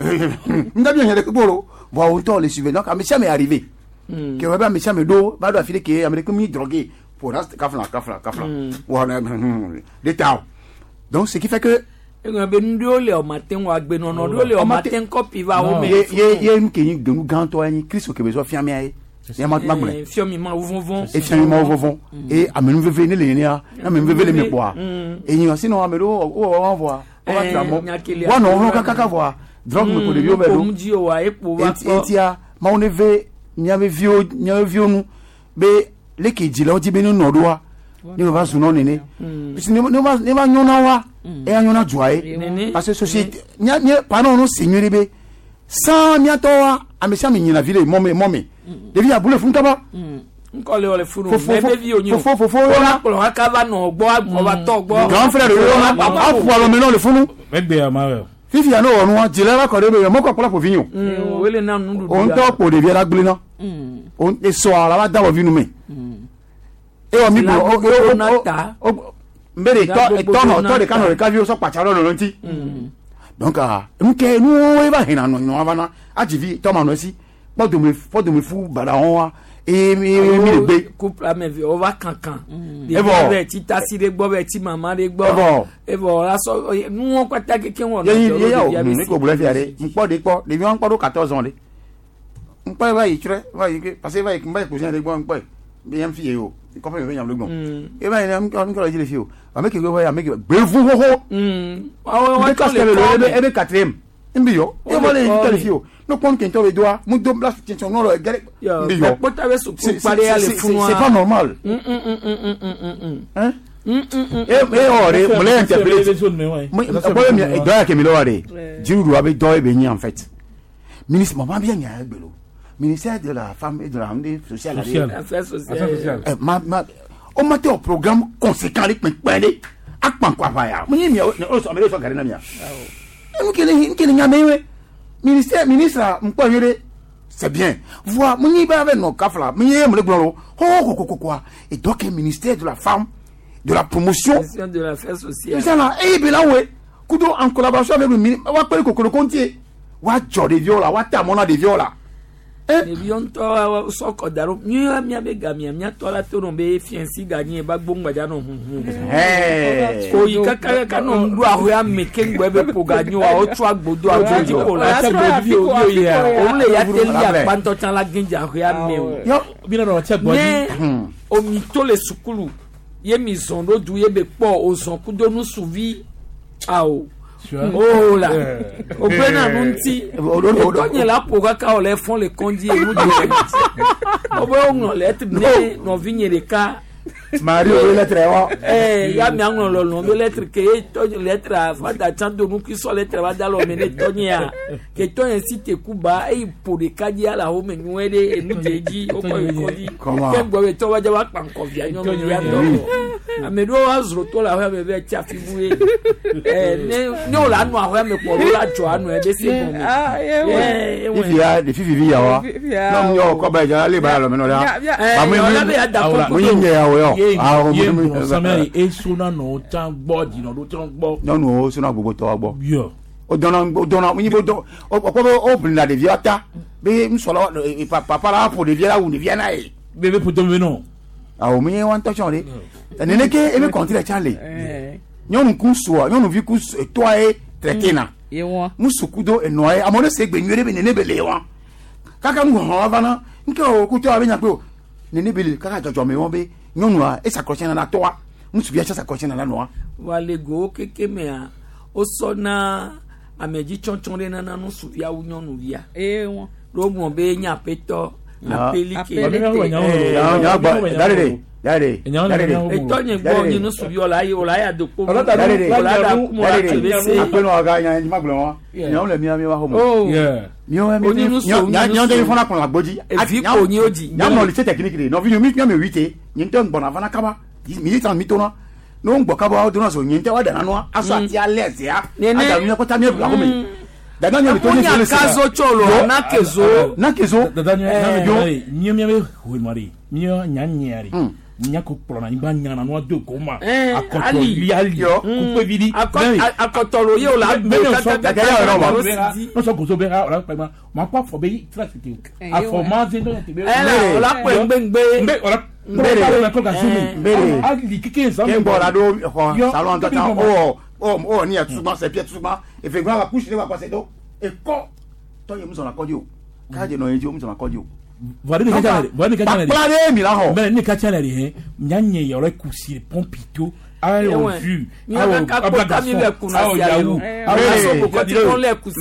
ŋu da bi nya ɖe kpekpe o vɔ òun ŋutɔ le suivre donc ame sia ame arrivé ke wɔ be ame sia ame ɖo va ɖo afi ɖe ke ame ɖe ke mi drogué pour kafla kafla kafla wɔ ne de ta o donc ce qui fait que Eŋlɔ be nu ɖewo le ɔmate ŋu agbenɔnɔ ɖewo le ɔmate ŋu kɔpi va wo me. Ye ye nu ke nyi genu gãtɔ ye nyi Kristo ke be sɔ fia mía ye. Ya ma ma gblɔe. Fiɔ mi ma wo vɔvɔn. Efia mi ma wo vɔvɔn. Eye amenuveve ne le nenea, ne amenuveve le mi kpɔa. Enyi wa sinɔ ame ɖewo wowɔ wɔn vɔa, wova tra mɔ. Woanɔ wo kakaka vɔa, drogue me ko ɖeviwo va ɖo. Ŋu dzi o wa ekpo va Enti etia Mawu ne ve míabe viwo míabe viwo nu be leke dzilawo di be ne nɔ ɖoa ne va zu nɔ nene. Parce que ne ne va ne va nyɔ na woa, eya nyɔ na dua ye. Nene. Parce que société mía mía parents no se nyuie ɖe be sans míatɔwoa ame sia ame nyina vi le mɔ me mɔ me. Ɖevi abu le funu kaba. Ŋkɔ le wɔ le funu. Fofo- Mɛ be vi o nyi o. fofo- fofo Wọ́n yɔna. kplɔ kaka va nɔ gbɔ agbɔ va tɔ gbɔ. Grand frère yɔna aƒu alɔme nɔ le funu. Megbe ya ma wɛ. Fifia ne wɔ nua dzila la kɔ ɖe be mɔkɔ kplɔ ƒo vi nyo. Wele na nuɖuɖu. O ŋutɔ kpo ɖevia la gblẽ na. O esɔa la va da wɔ vi nu me. Ewɔ mi Dzila gblɔ o gbogbo o na o ta. o n bɛ de Dzila tɔ gbogbo tɔ nɔ na tɔ ɖeka ta. nɔ ɖeka viwo sɔ kpatsa ɖe nɔ ŋuti. Donc ah nu ke nuwo eva hena nɔ nɔ va na adzivi tɔ ma nɔ esi kpɔdome kpɔdome fu baɖa wɔn wa eye mi mi le gbe. Couple ame eve wova kankan. Evɔ. Ɖevi bɛ ti tasi ɖe gbɔ bɛ ti mama ɖe gbɔ. Evɔ. Evɔ la sɔ nuwɔ kpata keke wɔ. Yeyi yeyi o ne ko gblɔ fia ɖe ŋkpɔ ɖe kpɔ ɖevi wɔn kpɔ ɖo 14 ans ɖe ŋkpɔ va yi trɛ va yi ke parce que va yi va yi cousin ɖe gbɔ ŋkpɔ be yɛn fi ye o kɔfɛ mi bɛ nyam le gbɔn e va yi ne ŋkɔ ŋkɔ le dzi le fi o ame ke va yi ame ke gbevu xoxo Wɔn ebe classe kɛ le ebe ebe quatrième nbi yɔ e va le ŋkɔ le fi o ne kpɔn kɛntɔ le doa mu do la tiɲɛ nɔ le gɛrɛ nbi yɔ Kpɔta bɛ suku C'est- kpa ɖe ya le c'est- funua. c'est pas normal. Hein? e e wɔ de mun le interpellé bɔyɔ mi dɔ yà kɛmɛ lɔwɔ de dziɖuɖu abe dɔ ye bɛ nyi en fait ministre mama bi nya ye gbelo ministère de la femme et de la de sociale la de- Social. Affaires sociales. Affaires sociales. Eh, ma ma o ma tɛ o programme conséquent de kpɛnkpɛn de a kpan kɔ afa ya mun ye miya o sɔn ame de sɔn gari na miya n kelen n kelen ɲa mɛ ye ministère ministre nkpɔ ye de c'est bien voa mun ye b'a bɛ nɔ ka fila mun ye mun de gblɔ lo ko ko ko ko et donc ministère de la femme de la promotion Question de l'affaire sociale. sisan la e bɛ la we kudo en collaboration avec le ministre wa kpɛlɛ kokolo kɔntie wa jɔ ɖeviwo la wa ta mɔ na ɖeviwo la. Ɖeviwo ŋutɔ sɔ kɔ da ɖo mía míabe gamia míatɔ la to nɔ be fiɛnsi ganyi eba gboŋgbadza nɔ huhu. Hey. Koyi kakakaka nɔ ŋu ɖo ahoe ame keŋgbɔ ebe ƒo ganyi wa wotsɔ agbodo agbo dzi ko la. Òun le ya te li akpantɔ tsã la gɛdze ahoe ame o. Ne omi to le sukulu ye mi zɔn ɖo du ye be kpɔ o zɔn kudo nusuvi awo. O la o gblẽ na nu ŋuti etɔnye la ƒo kaka wòle fɔn le kɔndzi enu di le ŋuti o be woŋlɔ lɛtri ne nɔvinye ɖeka. Marie o lɛtrɛ wa. Ɛɛ ya mi aŋlɔ lɔlɔ be lɛtri ke ye tɔnye lɛtra fada tsã do nukui sɔ lɛtra va da lɔ me ne tɔnyea ke tɔnye si te ku ba eyi ƒo ɖeka dzi ala wo me nyuie ɖe enu dze dzi wokɔ yi kɔdzi Comment? ke gbɔ be tɔ va dze va kpa ŋkɔvia nyɔnuvia tɔ ame ɖewo wa zro to le aƒea me be tsi afi bu ye ɛɛ ne ne wo la nɔ aƒea me kpɔ wo la dzɔ anɔ ebe se gɔme. Ɛɛ, ewɔe. Fifia ɖevi vivi ya wa n'amu yɔ kɔ ba dza ale ba lɔ mɛ nɔ la. Ɛɛ, ɔlɔ be ya da kɔkɔ Mun ye ɲɛ ya o yɔ. Awɔ, Ye mun- gblɔ samiya ye esona nɔ tsã gbɔ dzinɔ ɖo tsã gbɔ. Nyɔnuwo sona gbogbo tɔ wa gbɔ. Yɔ. O dɔnna o dɔnna mun ye bo dɔn o kɔ bɛ o bilina ɖevia ta be nusɔla papa la ƒo ɖevia la wu ɖevia na ye. Bebe ƒo tɔmɛ nɔ. Awɔ mun ye wa ŋutɔ tsɔn de. Nene ke ebe kɔnti tsã le. Nyɔnu ku sua nyɔnuvi ku tɔa ye traité na. Ye wɔn. Musu kudo enɔa ye amewo ne se gbe nyuie ɖe be nene be le wa. Kaka nu hɔn va na nke o kutɔ abe nyakpe o nene be le kaka dzɔdzɔme wɔn be nyɔnua esakɔtsɛ nana tɔa ŋutsuvia tse sakɔtsɛ nana nɔa. wa le gowo keke mea wosɔ na amedzitsɔtsɔ ɖe nana nusuvia wu nyɔnuvia. Ye wɔn. Ɖo gblɔ be nye aƒetɔ apelike. Etɔnye gbɔ nye nusuviwo la yi wòle aya do kpo. Wòle ada kumo la tse be se. Akpɛnɔ aga nya ma gblɔ wa nyawo le mia mi wa xɔmɔ. Oh. Miwo Onye nusu, onye nyawo nusu. tɛ fɔna kplɔ agbodzi. Evi ko nyi wo dzi. Nyamɔ lycée technique de nɔvi mi miame huit nye ŋutɔ gbɔna fana kaba mi yi tan mi tona ne wo ŋgbɔ kaba wo dona so nye ŋutɔ wa dana nua asɔ ati alɛ zea Nene. ada nu kɔta mie bla xɔme. Dada nye le to nye Wonya le se. kazo tso lo, nakezo. Nakezo. Dada nye Yo. nye miabe hoe de nye nya nyea de nya ko kplɔna anyigba nyana nua do ko ma Eh, akɔtɔ ali. li ali kukpe vi di. Akɔtɔlo ye o la gbo kaka nɔsɔ gozo bɛ ha ɔla kpɛ ma ma kɔ afɔ bɛ yi tira tete Eh, afɔ ma ze dɔ tete. Eh, la, o la kpɛ ŋgbɛŋgbɛ. Nbɛ ɔla Nbere. kɔ ka se mi. Nbere. Ali keke nsan. Ke ŋgbɔ la ɖo xɔ salon ŋutɔ tsã o o o ni atusugba sɛ pia tusugba efe gbɔ la kusi ɖe wa kɔsɛ do ekɔ tɔ ye musɔna kɔdzi o k'a dze nɔ ye dzi o musɔna kɔdzi o. Kpakpla ɖe mi la xɔ. Mɛ ne ka ca le de hɛn mia nye yɔrɔ kusi pɔmpi to awɔ ju awɔ ablagasɔn awɔ yawu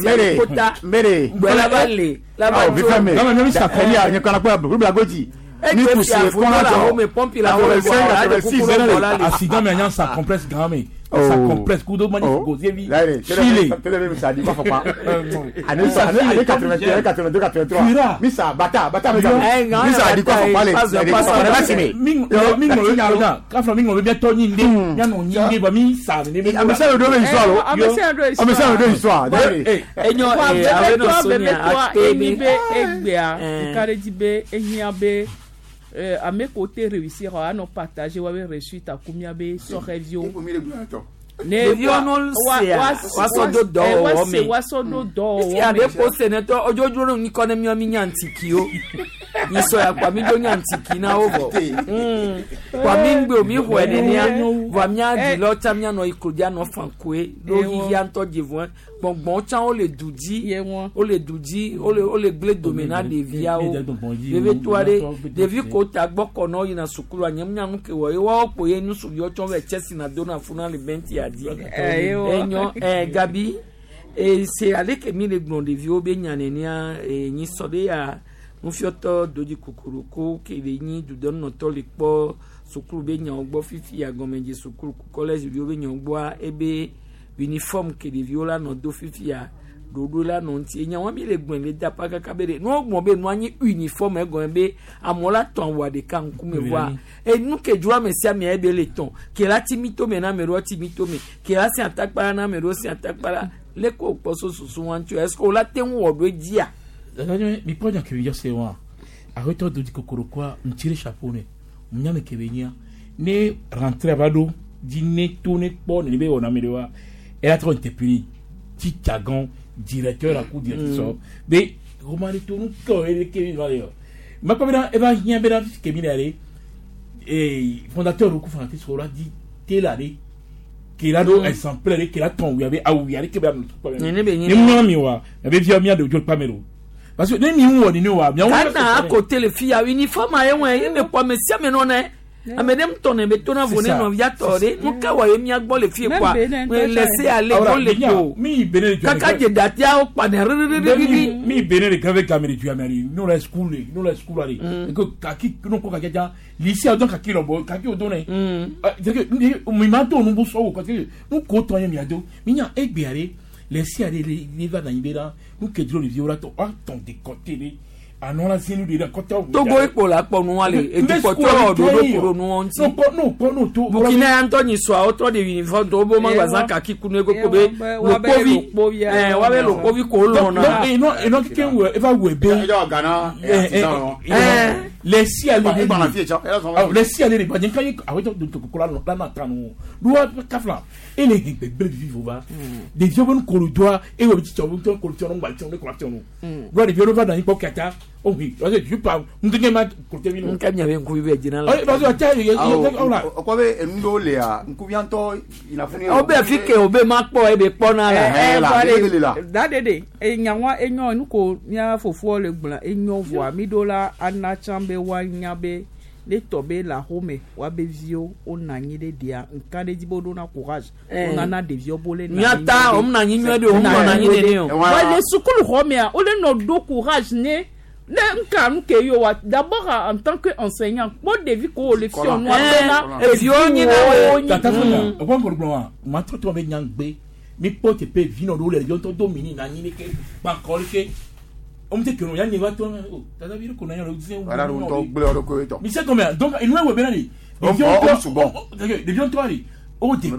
Mere mere mere awɔ fífẹ́ mi dàkẹ́lí nye kɔnɔ kpɛ bubula goji ni kusi kɔnɔ jɔ pɔmpi la 85 86 accident mi anya sa complexe gan mi sa complexe kudo mani gozie vi chile tele mi sa di ma fɔ pa ani ani 81 82 83 mi sa bata bata mi sa mi sa di kɔ fɔ pa le le si mi mi ŋlɔ mi ŋlɔ kafra mi ŋlɔ bi tɔ nyi de mianɔ nyi de ba mi sa ne mi ame sia ame do histoire lo ame sia ame do histoire enyo ee bebetɔ enyi be egbea nka ɖe dzi be ehiã be ame ko te réussir anɔ partager wa be réussite aku mía be sɔhɛviwo. Ne ɖeviwo no sea wasɔ do dɔwɔwɔ me wasɔ do dɔwɔwɔ me. Fia ɖe ko se ne tɔ odzodro ne ŋkɔ ne miɔ mi nya ntikiwo nyisɔ ya kpa mi do nya ntiki na wo vɔ kpa mi ŋgbe o mi xɔe nenea vɔa mia dzi tsa mia nɔ ikrodia nɔ fankoe ɖo xixia ŋutɔ dzi vɔe gbɔngbɔn tsã wole du dzi wole du dzi wole gble dome na ɖeviawo ɖevi toa ɖe ɖevi ko ta gbɔ kɔ nɔ yina sukulu anye nya nu ke wɔ ye woawo kpo ye nusuviwo tsɔ vɛ tsɛsi na do na funa le bɛnti adi enyɔ ɛ gabi ese ale ke mi le gblɔ ɖeviwo be nya nenea nyi sɔ ɖe ya nufiɔtɔ dodzi kokoroko ke le nyi dudɔnɔtɔ le kpɔ sukulu be nyawo gbɔ fifi agɔmedze sukulu kɔlɛzi viwo be nyawo gbɔa ebe uniforme ke ɖeviwo la nɔ do fifia ɖoɖo la nɔ ŋuti enyawo mi le gblɔ le dapa kaka be ɖe nuwo gblɔ be nua nyi uniforme egɔme be amewo la tɔn awua ɖeka ŋkume voa enu ke dzro ame sia amea ebe le tɔn ke la ti mi tome na ame ɖewo ti mi tome ke la si atakpa la na ame ɖewo si atakpa la le ko kpɔ so susu wa ŋuti o est ce que o la te ŋu wɔ ɖo edzia. mi kpɔ nya kebe yɔse wa awetɔ do di kokorokoa ŋuti ɖe chapeau ne nyame kebe nyia ne rentrée va ɖo dzi ne to ne kpɔ ne be wɔna ame ɖe wa ela trɔ interpellé titsagan directeur la ku directeur sɔ be romani to nu kɔ ye ke mi va le yɔ makpɔ bena eva hiã bena kemi le ale ee fondateur ku fondatrice la di te la de ke la do exemplaire de ke la tɔn wuya be awu wuya de ke be ame tukpa ne be ne mɔ mi wa ebe fia mia de dzo kpa me do parce que ne mi wɔ ni ne wa miawo. Ghana à côté le fia uniforme aye wɔ ye me kpɔ ame sia ame nɔ nɛ ame ɖe ŋutɔ ne be tona vo ne nɔvia tɔ ɖe nu ka wɔ ye mia gbɔ le fie kɔa laisser aller wo le ko kaka dze datia wo kpa ne ririririri. Mi bene le grave game de tuya mari no la school no la school ale ko kaki no ko kaki ja lycée adon kaki lo kaki o don ne c'est que mi ma to nu bu so ko que nu ko to ye mi ado mi nya egbe ale laisser aller les va dans ibera nu ke dro le vieux la to a ton décoté le anɔ la sinu de la kɔtɔ. Togo ekpo la kpɔ nua le edukɔtɔ ɖoɖo kuro nuwo ŋuti. Burkina ya ŋutɔ nyi sɔa wotrɔ de uniforme tɔwo bo ma gba zã kaki kunu ego be lokpovi ɛɛ wabe lokpovi ko lɔna. Enɔ enɔ keke wɔ eva wɔ ebe. Le si ale de le si ale de gbadze kan ye awetɔ do ko la la na tan o luwa kafla ele he gbegbe vivi va ɖeviwo be nukolo doa eye wo tsitsɔ wo ŋutɔ kolo tiɔ ŋgba tiɔ ne kolo tiɔ nu luwa ɖeviwo va nɔ anyi kpɔ kata oh oui parce que je parle ŋdeke ma kolo tiɔ mi no. Nka miabe ŋkuvi bɛ dzina la. Parce que ata ye ye la. O kɔ be enu ɖewo lia ŋkuvia ŋutɔ yina funu. O bɛ fi ke o bɛ ma kpɔ e bɛ kpɔ na la. Da de de enyawa enyɔ nu ko mía fofoa le gblɔ enyɔ vɔa mi ɖo la ana tsã be woanya be ne tɔ be le axome woabe viwo wonɔ anyi ɖe ɖia nka ɖe dzi be woɖo na courage wonana ɖeviwo bo le nɔ anyi miata wo mna anyi nyuie ɖe wo mnɔ anyi nene o. wa le sukulu xɔ mea wole nɔ ɖo courage ne ne nka nu ke yo wa d'abord en tant que enseignant kpɔ ɖevi ko wo le fiɔ nua bena eviwo nyi na wo. Tata funa o kɔn kɔrɔ gblɔ wa maa tɔ tɔ bɛ nya gbe mi kpɔ teƒe vi nɔ ɖewo le ɖeviwo ŋutɔ do mini na anyi ɖeke kpankɔ ɖeke on te keno yanni wa to o tata bi ko na yɔrɔ diɲɛ wala do tɔ gblẽ yɔrɔ ko tɔ mi se combien donc inu ewe bena de ɖeviwo ŋutɔ de o de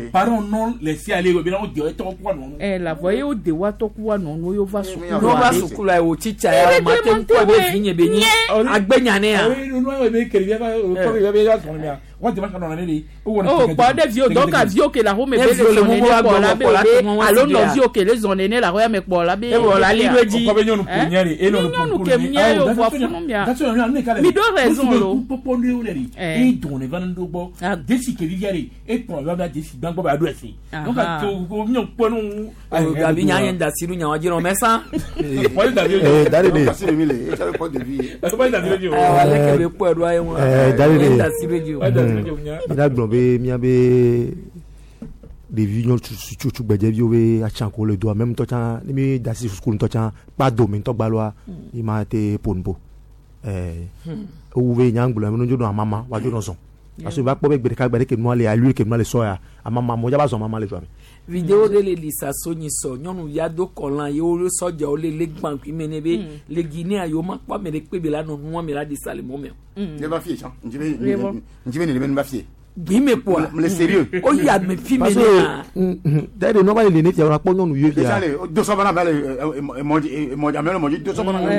parents non laissé aller o bena o de tɔ kuwa nɔ. Ɛ la voyez o de wa tɔ kuwa nɔ n'o y'o va sukulu n'o va sukulu la o titsa ya o ma te ŋkɔ be vi nye be nyi agbenya ne ya. Nu ewe be kele bi o kɔ bi ya sɔrɔ mi ya Wa démarche nɔ ne de. O kpɔ ɖe viwo donc viwo ke le axome be le zɔn nene kpɔ la be o be alo nɔviwo ke le zɔn nene le axɔya me kpɔ la be. E wɔ la li ɖo edzi. O kɔ be nyɔnu ke nye de. E Ni nyɔnu ke mía yo vɔ funu mía. Mi ɖo raison lo. Kpɔkpɔ ne wo le de. E dɔn ne va ne ɖo gbɔ. Desi ke vivia de. E kplɔ va be desi gbãgbɔ ba ɖo esi. Donc Aha. to ko mi kpɔ nu. O gabi nya nye da si ɖo nyawa dzi nɔ mɛ san. Eh, Daddy de. Ale ke be kpɔe ɖoa ye ŋu. Eh, Daddy de. Nye da si ɖo dzi o. Mi la gblɔ be míabe ɖevi nyɔ tsugbedzeviwo be atsa ko le doa mɛ ŋutɔ tsã ne mi da si sukulu ŋutɔ tsã kpa dome ŋutɔ gbaloa mi ma te ƒo nu po ɛɛ ewu be nya gblɔ mi dzo nɔ amama wa dzo nɔ zɔn parce que va kpɔ be gbe ɖeka gbe ɖe ke nua le alu ke nua le sɔ ya amama mo dza va zɔn amama le dua me. Video ɖe le lisa so nyi sɔ nyɔnuvi ado kɔlan ye wo sɔdzawo le le gbãkui me ne be le Guinea yewo ma kpɔ ame ɖe kpe be la nɔ nua me la ɖi sa le mɔ me o. Ne va fie tsã ŋdzi be ŋdzi be ne be ne va fie. Gbi me kpoa. Le sérieux. O yi ame fi me parce ne na. que d'ailleurs nua va le ne fia wa kpɔ nyɔnuviwo Déjà fia. le do sɔbana mɛ le emɔdzi emɔdzi ame le mɔdzi do sɔbana mɛ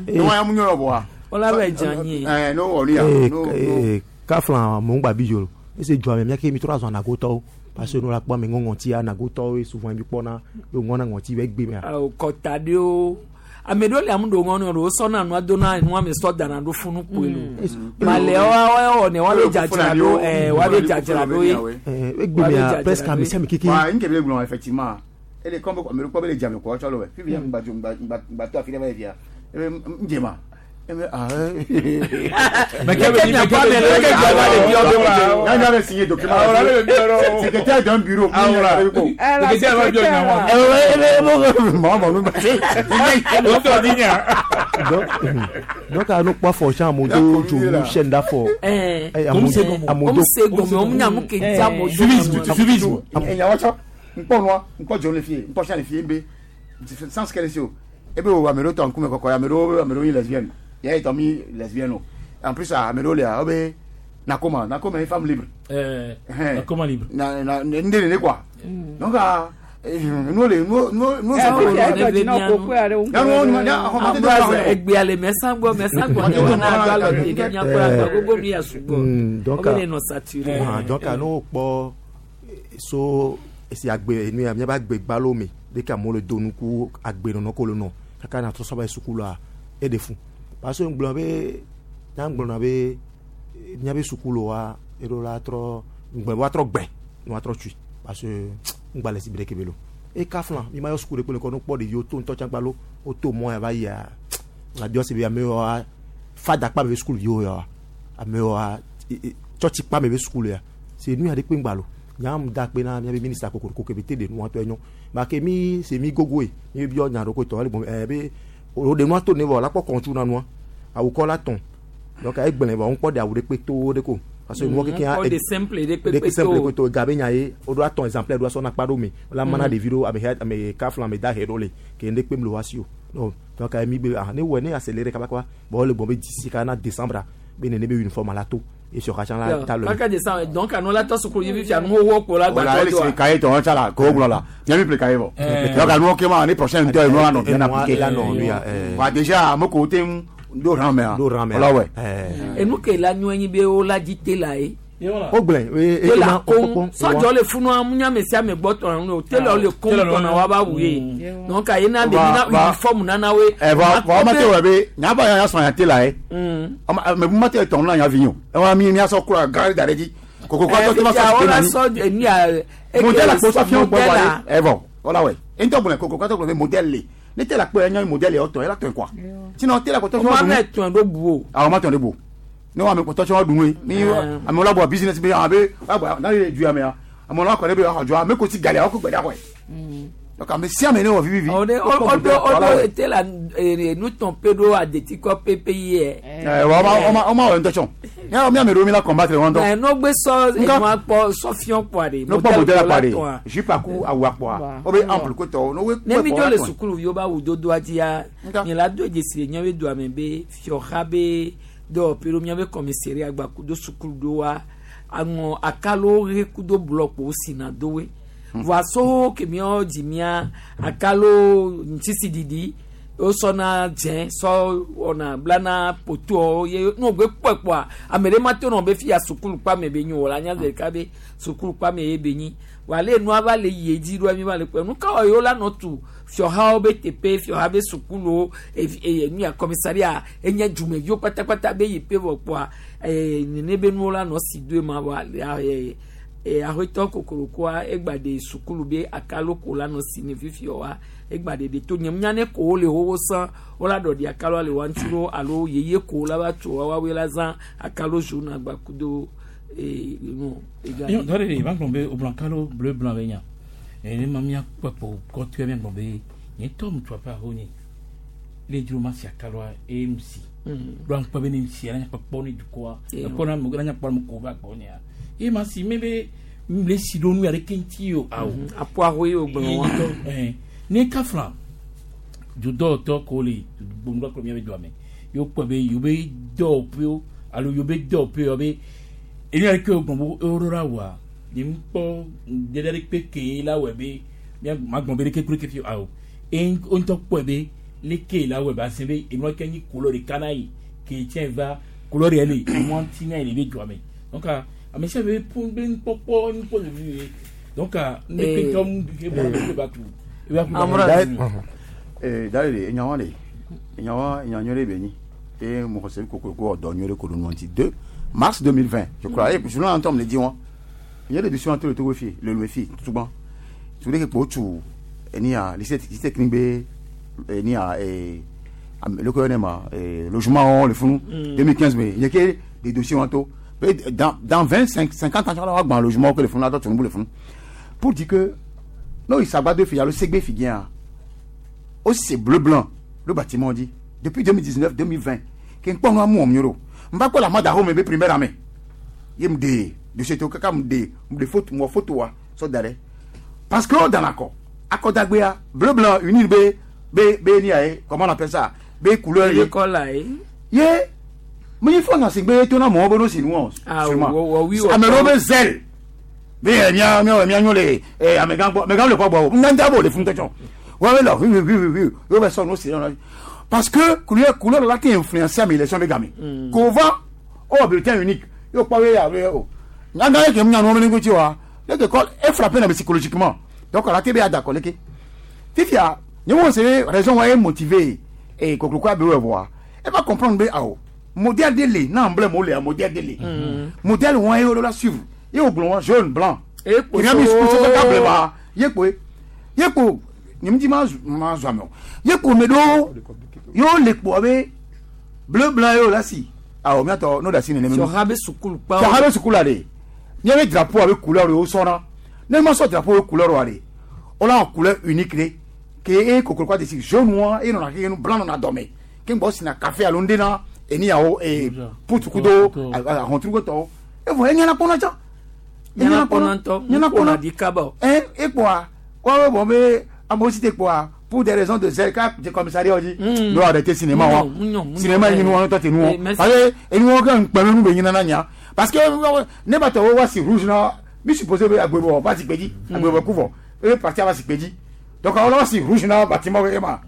le ne wa ya mu nyɔ bɔa. Wala bɛ dza nyi. Ɛɛ n'o wɔ nu ya. Eh, n'o- eh, kafla mo ŋgba bi dzo ese dzoa me miake mi trɔ azɔ anagotɔwo parce que nu la kpɔ ame ŋɔ ŋɔti anagotɔwo ye souvent mi kpɔna ye ŋɔna ŋɔti be gbe mea. Awo kɔta ɖewo ame ɖewo le amu ɖo ŋɔnu ɖewo sɔna nua dona nua me sɔ dana ɖo funu kpoe lo. Malɛ wa wɔ ne wa be dzadzra ɖo ɛɛ wa be dzadzra ɖo ye. Egbe mea presque ame sia ame keke. Wa nke be gblɔ effectivement ele kɔn be ame ɖe kpɔ be le dzame kɔ tsɔ le wɛ fifi ya ŋgba dzo ŋgba ŋgba ŋgba to afi ɖe va yi fia ebe ŋdze ma ebe ah. Mais quel- mais quel- mais quel diable le biɔ be ŋdze? Nya nya be signé document. Ah, voilà, le biɔ. Secrétaire d'un bureau. Ah, voilà. Secrétaire va biɔ nya wa. Mɔ mɔ nu ba. O tɔ di nya. Donc donc a no kpɔ afɔ tsã amewo do dzonu chaîne d'afɔ. Ɛɛ. Eh, amewo amewo do. Comme se gɔme wo nya nu ke dza mo do. Civisme. Enya wa tsɔ ŋkpɔ nua ŋkpɔ dzonu le fie ŋkpɔ sia le fie be sans qu'elle se o ebe wo ame ɖewo tɔ ŋkume kɔkɔ ame ɖewo ame ɖewo nyi lesbienne ya etɔ mi lesbienne o en plus ame ɖewo lia wo be nakoma nakoma ye femme libre. Ɛɛ nakoma libre. Na na nde nene quoi donc ah nuwo le nuwo nuwo nuwo Egbea le mɛsan gbɔ mɛsan gbɔ ne wa na do alɔ de ne miakpɔ agba gbogbo nu ya sugbɔ. Donc Wo be ne nɔ saturé. Ah, donc a no kpɔ so esi agbe nu ya miabe agbe gbalo me ɖeke amewo le do nuku agbenɔnɔ ko le nɔ kaka na trɔ sɔba yi sukulua eɖe fu parce que ŋgblɔ be nya ŋgblɔna be miabe sukuluwa eɖo la trɔ ŋgblɔ be woatrɔ gbɛ ne woatrɔ tui parce que ŋgba le si be ɖeke be lo eka flan mi ma yɔ suku ɖe kpe le kɔ no kpɔ ɖeviwo to ŋutɔ tsã gbalo woto mɔ ya va yia la biɔ se be amewoa fada kpa me be sukuviwo ya amewoa tsɔtsi kpa me be sukulu ya se nu ya ɖe kpe ŋgba lo nyam da kpe na miabe minista kokoroko ke be te ɖe nua tɔ enyo ba ke mi se mi gogoe mi biɔ nya ɖo ko tɔ ele gbɔn ɛ be o ɖe nua to ne vɔ la kpɔ kɔntu na nua awu kɔ la tɔn donc egblẽ vɔ ŋkpɔ ɖe awu ɖe kpe to ɖe ko parce que nuwo keke Ŋkpɔ ɖe simple ɖe kpe ɖe kpe simple to. kpe to gabe nya ye o ɖo atɔn exemplaire ɖo asɔ na kpa ɖo me la mana Mm. ɖevi ɖo ame he ame kafla ame dahe ɖo le ke ŋɖe kpem le wa si o non donc mi be ah ne wɔ ne accéléré kabakaba bon le gbɔn be d'ici ka na décembre be nene be uniforme la to et sur katsã la ta le Kaka de san donc anu la tɔ sukulu yi fifia nu wo kpo la Voilà, gbatɔ ele do sigi cahier tɔ tsa la ko gblɔ la nya mi ple cahier vɔ. Donc anu ke ma année prochaine ŋutɔ enu anɔ bien appliqué. la nɔ nu ya, eh. Wa déjà ame ko te ŋu ɖo rang mea. Ɖo rang mea. Wala wɛ. Enu ke la nyɔ nyi be wo la dzi te la ye. o gblẽ Te la koŋ sɔdzɔ le funua mu nya ame sia ame gbɔ tɔna nu o te la le koŋ tɔna wa ba wu ye. Donc ayi na ɖevi na uniforme nana woe. Ɛ vɔ vɔ ma te wɔ be nya ba ya sɔn ya te la ye. Mɛ bu ma te tɔn na nya vi o. Ɛ mi mi asɔ kura gari da ɖe dzi. Koko kɔ tɔ te ma sɔ Wala na ni. sɔ enu ya. Modèle la kpɔ sɔ fiɔ gbɔ wa ye. Ɛ vɔ wala wɛ. Ntɔ gblẽ koko kɔ tɔ gblẽ be modèle le. Ne te la kpɔ nya modèle yɔ tɔ ye la tɔn quoi. Sinon te la kpɔ tɔ O ma mɛ tɔn ɖo bu o. Awɔ ma tɔn ɖe bu. Ne wa ame kpɔtɔ tsɔ ɖu nue. Ni amewo la bɔ business be abe wa bɔ n'ale le du ya mea amewo la kɔ ɖe be axɔ dzɔ ame ko si gali awɔ ko gbe ɖe axɔe. Donc ame sia ame ne wɔ vivivi. Ɔde ɔdo ɔdo te la nutɔn pe ɖo adeti kɔ pepe yɛ. Ɛ wa ɔma ɔma wɔ ŋutɔ tsɔ. Nya mi ame ɖewo mi la combattre wɔn Ɛ ŋutɔ. n'ogbe sɔ enua kpɔ sɔ fiɔ kpɔa de. Ne kpɔ modèle akpa la de tɔn a. jupe aku awu akpɔa wo be ample ko tɔ ne wo Ne mi dzo le sukulu viwo ba wudodoa dzia nye la do dzesi le míabe dua me be fiɔha be dɔwɔƒe ɖo míabe kɔmiseria gba kudo sukulu ɖoa aŋɔ akalo ɣe kudo blɔkpo sina dowe voa so ke míawo dzi mía akalo ŋutisi ɖiɖi Wosɔna dzẽ sɔ wɔna blana potoawo ye ne wogbe kpɔe kpɔa ame ɖe ma to nɔ be fi ya sukulu kpame be nyi o la nya ɖeka be sukulu kpame ye be nyi wòale nua va le yie dzi ɖoa mi va le kpɔe nu ka wɔ yewo la nɔ tu fiɔhawo be teƒe fiɔha be sukuluwo evi eye nu ya kɔmisaria enye dumeviwo kpatakpata be yi pe vɔ kpɔa ee nene be nuwo la nɔ si doe ma vɔ ale ee aƒetɔ kokorokoa egba de sukulu be akalo ko la nɔ si ne fifi wa egba de de to nye nya ne ko wole xoxo sã wola ɖɔɖi akaloa le wa ŋuti ɖo alo yeye ko la va tso wa woawoe la zã akalo jaune agba kudo ee nu ega. Yo, dɔ de ba gblɔ be o blanc kalo bleu blanc be nya. E ne ma mia kpɔkpɔ kɔtɔe mia gblɔ be nye tɔ mu tso aƒe aho nye. Le dzro ma si akaloa e mu si. Ɖo aŋkpɔ be ne mu si ala kpɔkpɔ ne dukɔa. Ekpɔ na mu na kpɔ mu ko ba gbɔ nyea. E ma si me be le si ɖo nu ya ɖeke ŋuti o awo. Apo aho ye o gblɔ wa. Eh, ne kafla dudɔwɔtɔ ko le gbɔngbɔ kplɔ mia be dua me. Yo kpɔ be yo be dɔwɔƒewo alo yo be dɔwɔƒewo be enu ya ɖeke wo gbɔn bo ewo ɖo la wɔa nye ŋkpɔ ɖeɖe ɖe kpe ke la wɔe be mia ma gbɔn be ɖeke kple ke fi awo. E ŋutɔ kpɔe be leke la wɔe ba se be enua ke nyi couleur ɖeka na yi ke tsɛ va couleur yɛ le emɔ ŋuti na yi le be dua me. Donc ame sia ame be be nukpɔkpɔ nukpɔ le vi ye. Donc ne ke tɔ mu ke bɔ ke ba tu. E ba ku D'ailleurs, enyawa le enyawa enya nyuie ɖe be nyi eye mo xɔse kokoroko wɔ dɔ nyuie ɖe ko ɖo nua ŋuti 2 mars 2020 je crois eye journal ŋutɔ me le dzi wɔn nye le dossier to le Togo fi le Lomé fi tutugbã tu ɖe ke kpo tu enia lycée lycée technique be enia ee leke yɔnɛ ma ee logement wɔn le funu 2015 me nye ke de dossier wɔn to be dans 25 50 ans wa gbã logement ke le funu la tɔ tu nubu le funu pour dire que n'o yi Sagbado fi alo Segbe fi bien aussi c'est bleu blanc le bâtiment dit depuis 2019 2020 ke nkpɔ nua mu wɔm nyoro n ba kpɔ la mada home be primaire ame ye mu de dossier to kaka mu de mu de photo mu wɔ photo wa sɔ da ɖe parce que o dan akɔ akɔdagbea bleu blanc uni be be be ni aye comment on appelle ça be couleur ye kɔla ye. ye mu yi fɔ na si gbe to na mɔgɔwo be no si nu wɔ Ah, seulement wɔ- wɔ- wɔ- ame ɖewo be zèle be ɛ mía mía mía nyɔ le ɛ amegã gbɔ amegã le kɔ gbɔ o ŋdá bo le fún tɔtsɔ wọ́n bɛ lọ hui hui hui hui yóò bɛ sɔ n'o si lọ parce que couleur couleur la ti influencer ame élection bɛ game kò va ó bulletin unique yóò kpɔ wíyà wíyà o nyanga ye kɛ mu nyanu wɔn ŋuti wa ne ke kɔ e frappé na psychologiquement donc ala te bɛ ya d'accord leke fifia nye wo se raison wa ye motivé e kokoroko abe wɛ voa e va comprendre be awɔ modèle de le n'a emblème o le a modèle de le modèle wɔn ye o la suivre ye o gblɔ wɔn jaune blanc E kpo kìnìún mi so- sukuu sɔsɔ ka blema ye kpoe ye kpo nye ŋuti ma zu ma zu ame o ye kpo me ɖewo yewo le kpoa be bleu blanc yewo la si awɔ miatɔ n'o da si nene mi Fiɔha be sukulu kpa. fiɔha be sukulu la de nye be drapeau abe couleur yewo sɔna ne ma sɔ drapeau be couleur wa de wala wɔ couleur unique de ke e kokoroko de si jaune wa e nɔna keke nu blanc nɔna dɔmɛ ke ŋgbɔ sina café alo ŋde na eni yawo ee putukudo ahɔntrugo tɔwo evɔ enyana kpɔnɔ tsã Nyana kpɔnɔ ŋutɔ. nyana Ŋkpɔna kpɔnɔ di kaba o. ɛ ekpoa wɔwɔ bɔn be amewo si te kpoa pour des raisons de zèle ka de commissariat dzi n'o arrêté cinéma wa Ŋunyɔ, ŋunyɔ, cinéma yi nu wɔn tɔ te nu Eh, wɔn merci. parce que enu wɔn kɛ ŋkpɛmɛ nu be nyina na nya parce que ne ba tɔ wo wa si rouge na mi supposé be agbebɔ va si kpedzi agbebɔ ku vɔ ebe parti va si kpedzi donc awɔ la si rouge na bâtiment keke ma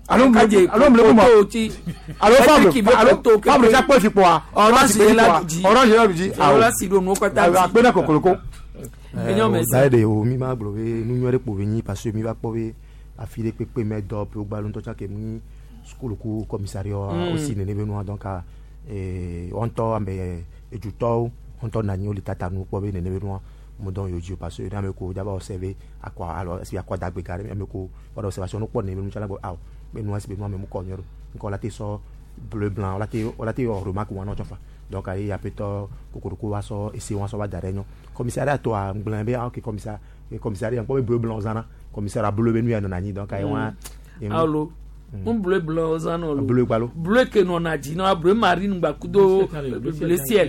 alo Kadze alo mle kuma poto ti. alo Patrick fabre be alo poto keke. fabre tia kpɔ fi kpoa Orange ye la du dzi. orange ye la du dzi Awɔ la si ɖo nuwo katã dzi. akpe na kokoloko. Enyo mesi. Da de o mi ma gblɔ be nu nyuie ɖe kpo be nyi parce que mi va kpɔ be afi ɖe kpekpe me dɔ ƒe wogba ŋutɔ tsã ke mu nyi sukulu ku commissariat wosi nene be nua donc ee wɔn ŋutɔ ame edzutɔwo wɔn ŋutɔ na anyi wole tata nu kpɔ be nene be nua mo dɔn yewo dzi o parce que ne ame ko dzaba observer akɔ alo esi akɔ dagbe ka ɖe ame ko wɔɖe observation no kpɔ nene be nu tsã la gbɔ awo be nua si be nua me mu kɔ nyuie ɖo ŋkɔ la te sɔ bleu blanc wala te wala te wɔ remarque wɔn tsɔ fa donc ayi aƒetɔ kokoroko wa sɔ ese wa sɔ va da ɖe nyɔ commissariat tɔa ŋgblẽ be ah ok commissariat commissariat ŋkpɔ be bleu blanc zãna commissariat bleu be nu ya nɔna anyi donc ayi wa Alo. Un bleu blanc zã nɔ lo. Bleu gbalo. Bleu ke nɔna dzi na bleu marine gba kudo bleu ciel.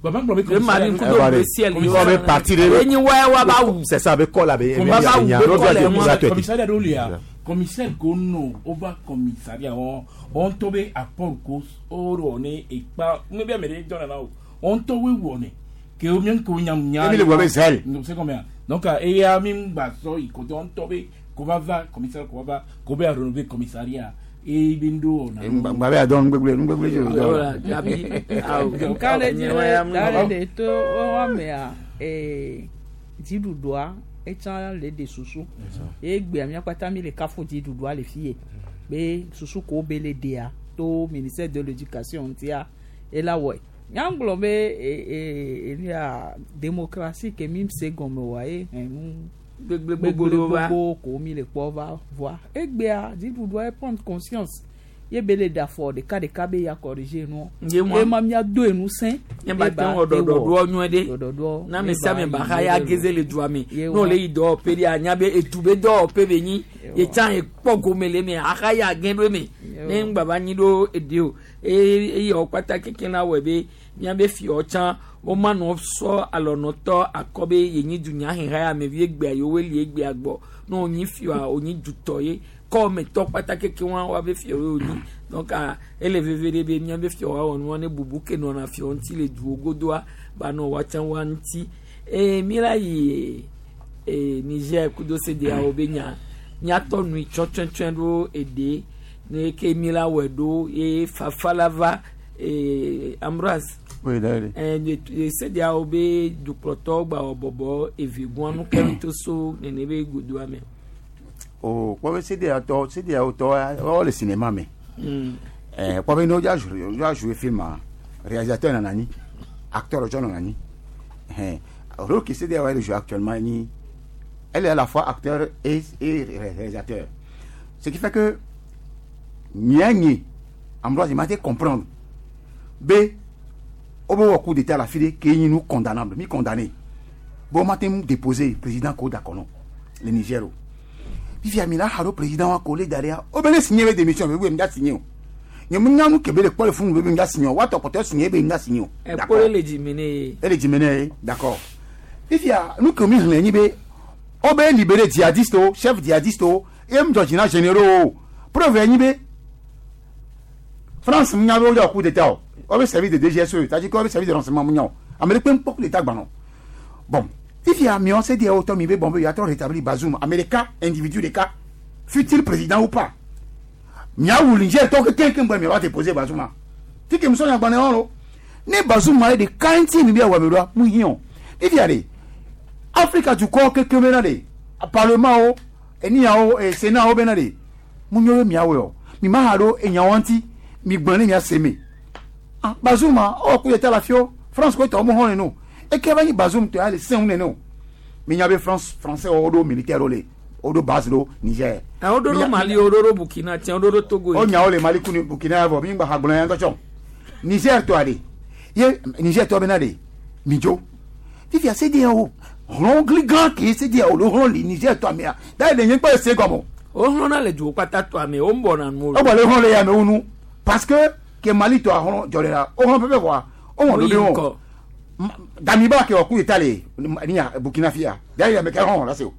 Baba gblɔ be Bleu marine kudo bleu ciel. Kɔ be parti de Enyi wa wa ba wu. c'est ça be kɔ la be Wa ba wu be kɔ le ŋua. commissariat ɖewo lia commissaire ko no wova commissariat wɔn wɔn ŋutɔ be apport ko wowɔ ne ekpa ne be ame ɖe dɔn nana o wɔn ŋutɔ woe wɔ ne ke wo mian ko nyam nya. Emi le gblɔ be zèle. c'est combien donc eya mi gba sɔ yi kote wɔn ŋutɔ be Ko va va commissaire ko va va ko be a renouveler commissariat e be ndo na. Gba be adɔ nugbegble nugbegble dzi o. Voilà, Gabi. Nka le dzi be da le ɖe to woamea ee dziɖuɖua etsã le ɖe susu ye gbea míakpata mi le kafu dziɖuɖua le fi ye be susu ko be le ɖea to ministère de l'éducation ŋutia ela wɔe nyagblɔ be ee ee enuya démocratie ke mi se gɔme oa ye hɛn nu Gbegble gbogbo ɖewo va. gbogbo ko mi le kpɔ va voa egbea dziɖuɖua ye prendre conscience ye be le ɖe afɔ ɖeka ɖeka be ya corriger nuɔ Ye mɔ. ye ma mía do enu sẽ nye ba te wɔ ɖɔɖɔɖoɔ nyuie ɖe ɖɔɖɔɖoɔ na ame sia ame ba xa ya geze le dua me Ye ne wa. wòle yi dɔwɔƒe ɖe anya be edu be dɔwɔƒe be nyi ye tsã ye kpɔ gome le eme axa ya gẽ ɖo eme ne ŋgba va nyi ɖo eɖe o eye eye wɔ kpata keke na wɔe be míabe fiawo tsã woma nɔ sɔ alɔnɔtɔ akɔ be yenyi dunyaheha ya me vie gbea yewoe li egbea gbɔ ne wonyi fia wonyi dutɔ ye kɔmetɔ kpata keke wa woabe fiawoe wonyi donc ah, ele veve ɖe be míabe fiawo awɔ nua ne bubu ke nɔna fiawo ŋuti le duwo godoa ba nɔ woatsã woa ŋuti eye mi la yi ee Niger kudo CEDEAO be nya míatɔ nui tsɔ tsɔtsɔe ɖo eɖe ne ke mi la wɔe ɖo ye fafa la va ee Ambroise. Oui, d'ailleurs. CEDEAO be dukplɔtɔwo gba wɔ bɔbɔ eve gɔn nu kɛm to so nene be godoa me. O kpɔ be CEDEAO tɔ CEDEAO tɔ wɔwɔ le cinéma me. Ɛɛ kpɔ be n'o dza jouer o dza jouer film a réalisateur nana anyi acteur tsɔ nana anyi hɛn rôle que CEDEAO le jouer actuellement ni elle est à la fois acteur et réalisateur ce qui fait que nyɛ nye Ambroise ma te comprendre be o bɛ wɔ coup d'état la fi de k'e ɲini condamnable mi condamné bon ma te mu déposer président ko d'accord non le Niger o fifia mi la ha ɖo président wa ko le da ɖea o bɛ ne signé be démission be mi da signé o nye mu nya nu ke be le kpɔ le funu be mi da signé o wa tɔ kpɔtɔ signé be mi da signé o. Ɛkpo le le dzime ne ye. ele dzime ne ye d'accord fifia nu ke mi xlẽ nyi be o bɛ libéré djihadiste o chef djihadiste o ye mu dzɔ dzi na généraux o preuve ye nyi be France mu nya be o dzɔ coup d'état o o bɛ service de DGSE c'est-à-dire que o bɛ service de renseignement mu nya o ame ɖe kpe ŋkpɔ coup d'état gbanɔ bon fifia miɔ CEDEAO tɔ mi be bon be ya trɔ rétablir Bazoum ame ɖeka individu ɖeka fut-il président ou pas miawu Niger tɔ kekeŋ gbɛ miava déposer Bazoum ma tike musɔ nyagbalẽ wɔn lo ne Bazoum ma ye ɖeka ŋuti mi bi awɔ mi ɖoa mu hiã o fifia de Afrika dukɔ kekeŋ bena de parlement o eniyawo e sénat wo bena de mu nyo be miawɔe o mi ma ha ɖo enyawo ŋuti mi gblẽ ne mia se me ah Bazoum ma ɔ coup d'état la fio France ko tɔ mu hɔn nene o eke va nyi Bazoum tɔ ya le sɛŋ nene o mi nya be France français wo ɖo militaire wo le wo ɖo base ɖo Niger. Wo ɖo ɖo Mali wo ɖo ɖo Burkina tiɲɛ wo ɖo ɖo Togo. O nya wo le Mali kuni Burkina ya vɔ mi gba ha gblɔ ya ŋutɔ tsɔ Niger tɔa de ye Niger tɔ bena de mi dzo fifia CEDEAO hlɔn gli gã ke CEDEAO le hlɔn li Niger tɔa mea da yi le nye kpɔ ese gɔme o. O hlɔn le duwo kpata tɔa me o ń bɔna nu o. O bɔ le hlɔn le ya me wo nu parce que ke Mali tɔa hlɔn dzɔ le la o hlɔn pɛpɛ vɔa o wɔn do de wɔn Damiba ke wɔ coup d'état le niya Burkina fia da yi ame ke hlɔn la se o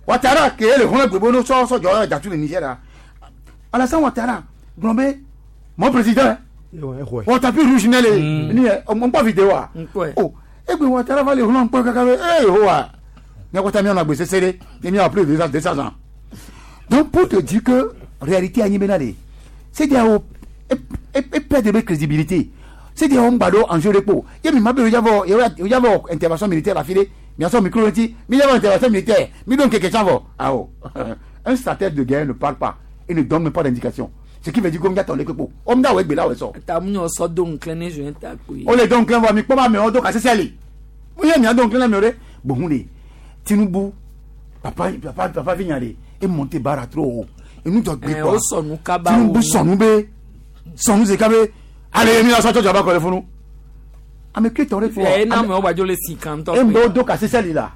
Ouattara ke le hlɔn gbegbe no sɔ sɔ dzɔ datu le Niger la Alassane Ouattara gblɔ be mon président wɔ tapis rouge ne le ni yɛ n kpɔ vidéo wa o egbe Ouattara va le hlɔn kpɔ kaka be ee hoa nyakɔta mianɔ agbe sese ɖe ne miawɔ plus de 200 ans donc pour te dire que réalité anyi bena de CEDEAO e perdre be crédibilité CEDEAO ŋgba ɖo enjeu ɖe kpo ye mi ma be yavɔ yavɔ intervention militaire la fi ɖe miasɔ micro ŋuti mi yavɔ intervention militaire mi ɖo ŋkeke tsã vɔ awɔ un stratège de guerre ne parle pas et ne donne même pas d'indication ce qui veut dire que ŋdza tɔ le kpekpo o ŋdza wɔ egbe la wɔ sɔ. Ta mu nyɔ sɔ do ŋklẽ ne joint ta koe. o le do ŋklẽ vɔ mi kpɔ ba amewo do kasese li mo ye mia do ŋklẽ na mi o ɖe bohun de Tinubu papa papa papa vi nya de e monte bara trop haut enu dzɔ gbe Ɛ, kɔ o sɔnu kaba Tinubu wo. sɔnu be sɔnu zeka be ale mi la sɔ tsɔtsɔ ba kɔ le funu ame ke tɔ ɖe kpɔ Ɛ na amewo gbadzo le si kan tɔ. e ŋgbe do kasese li la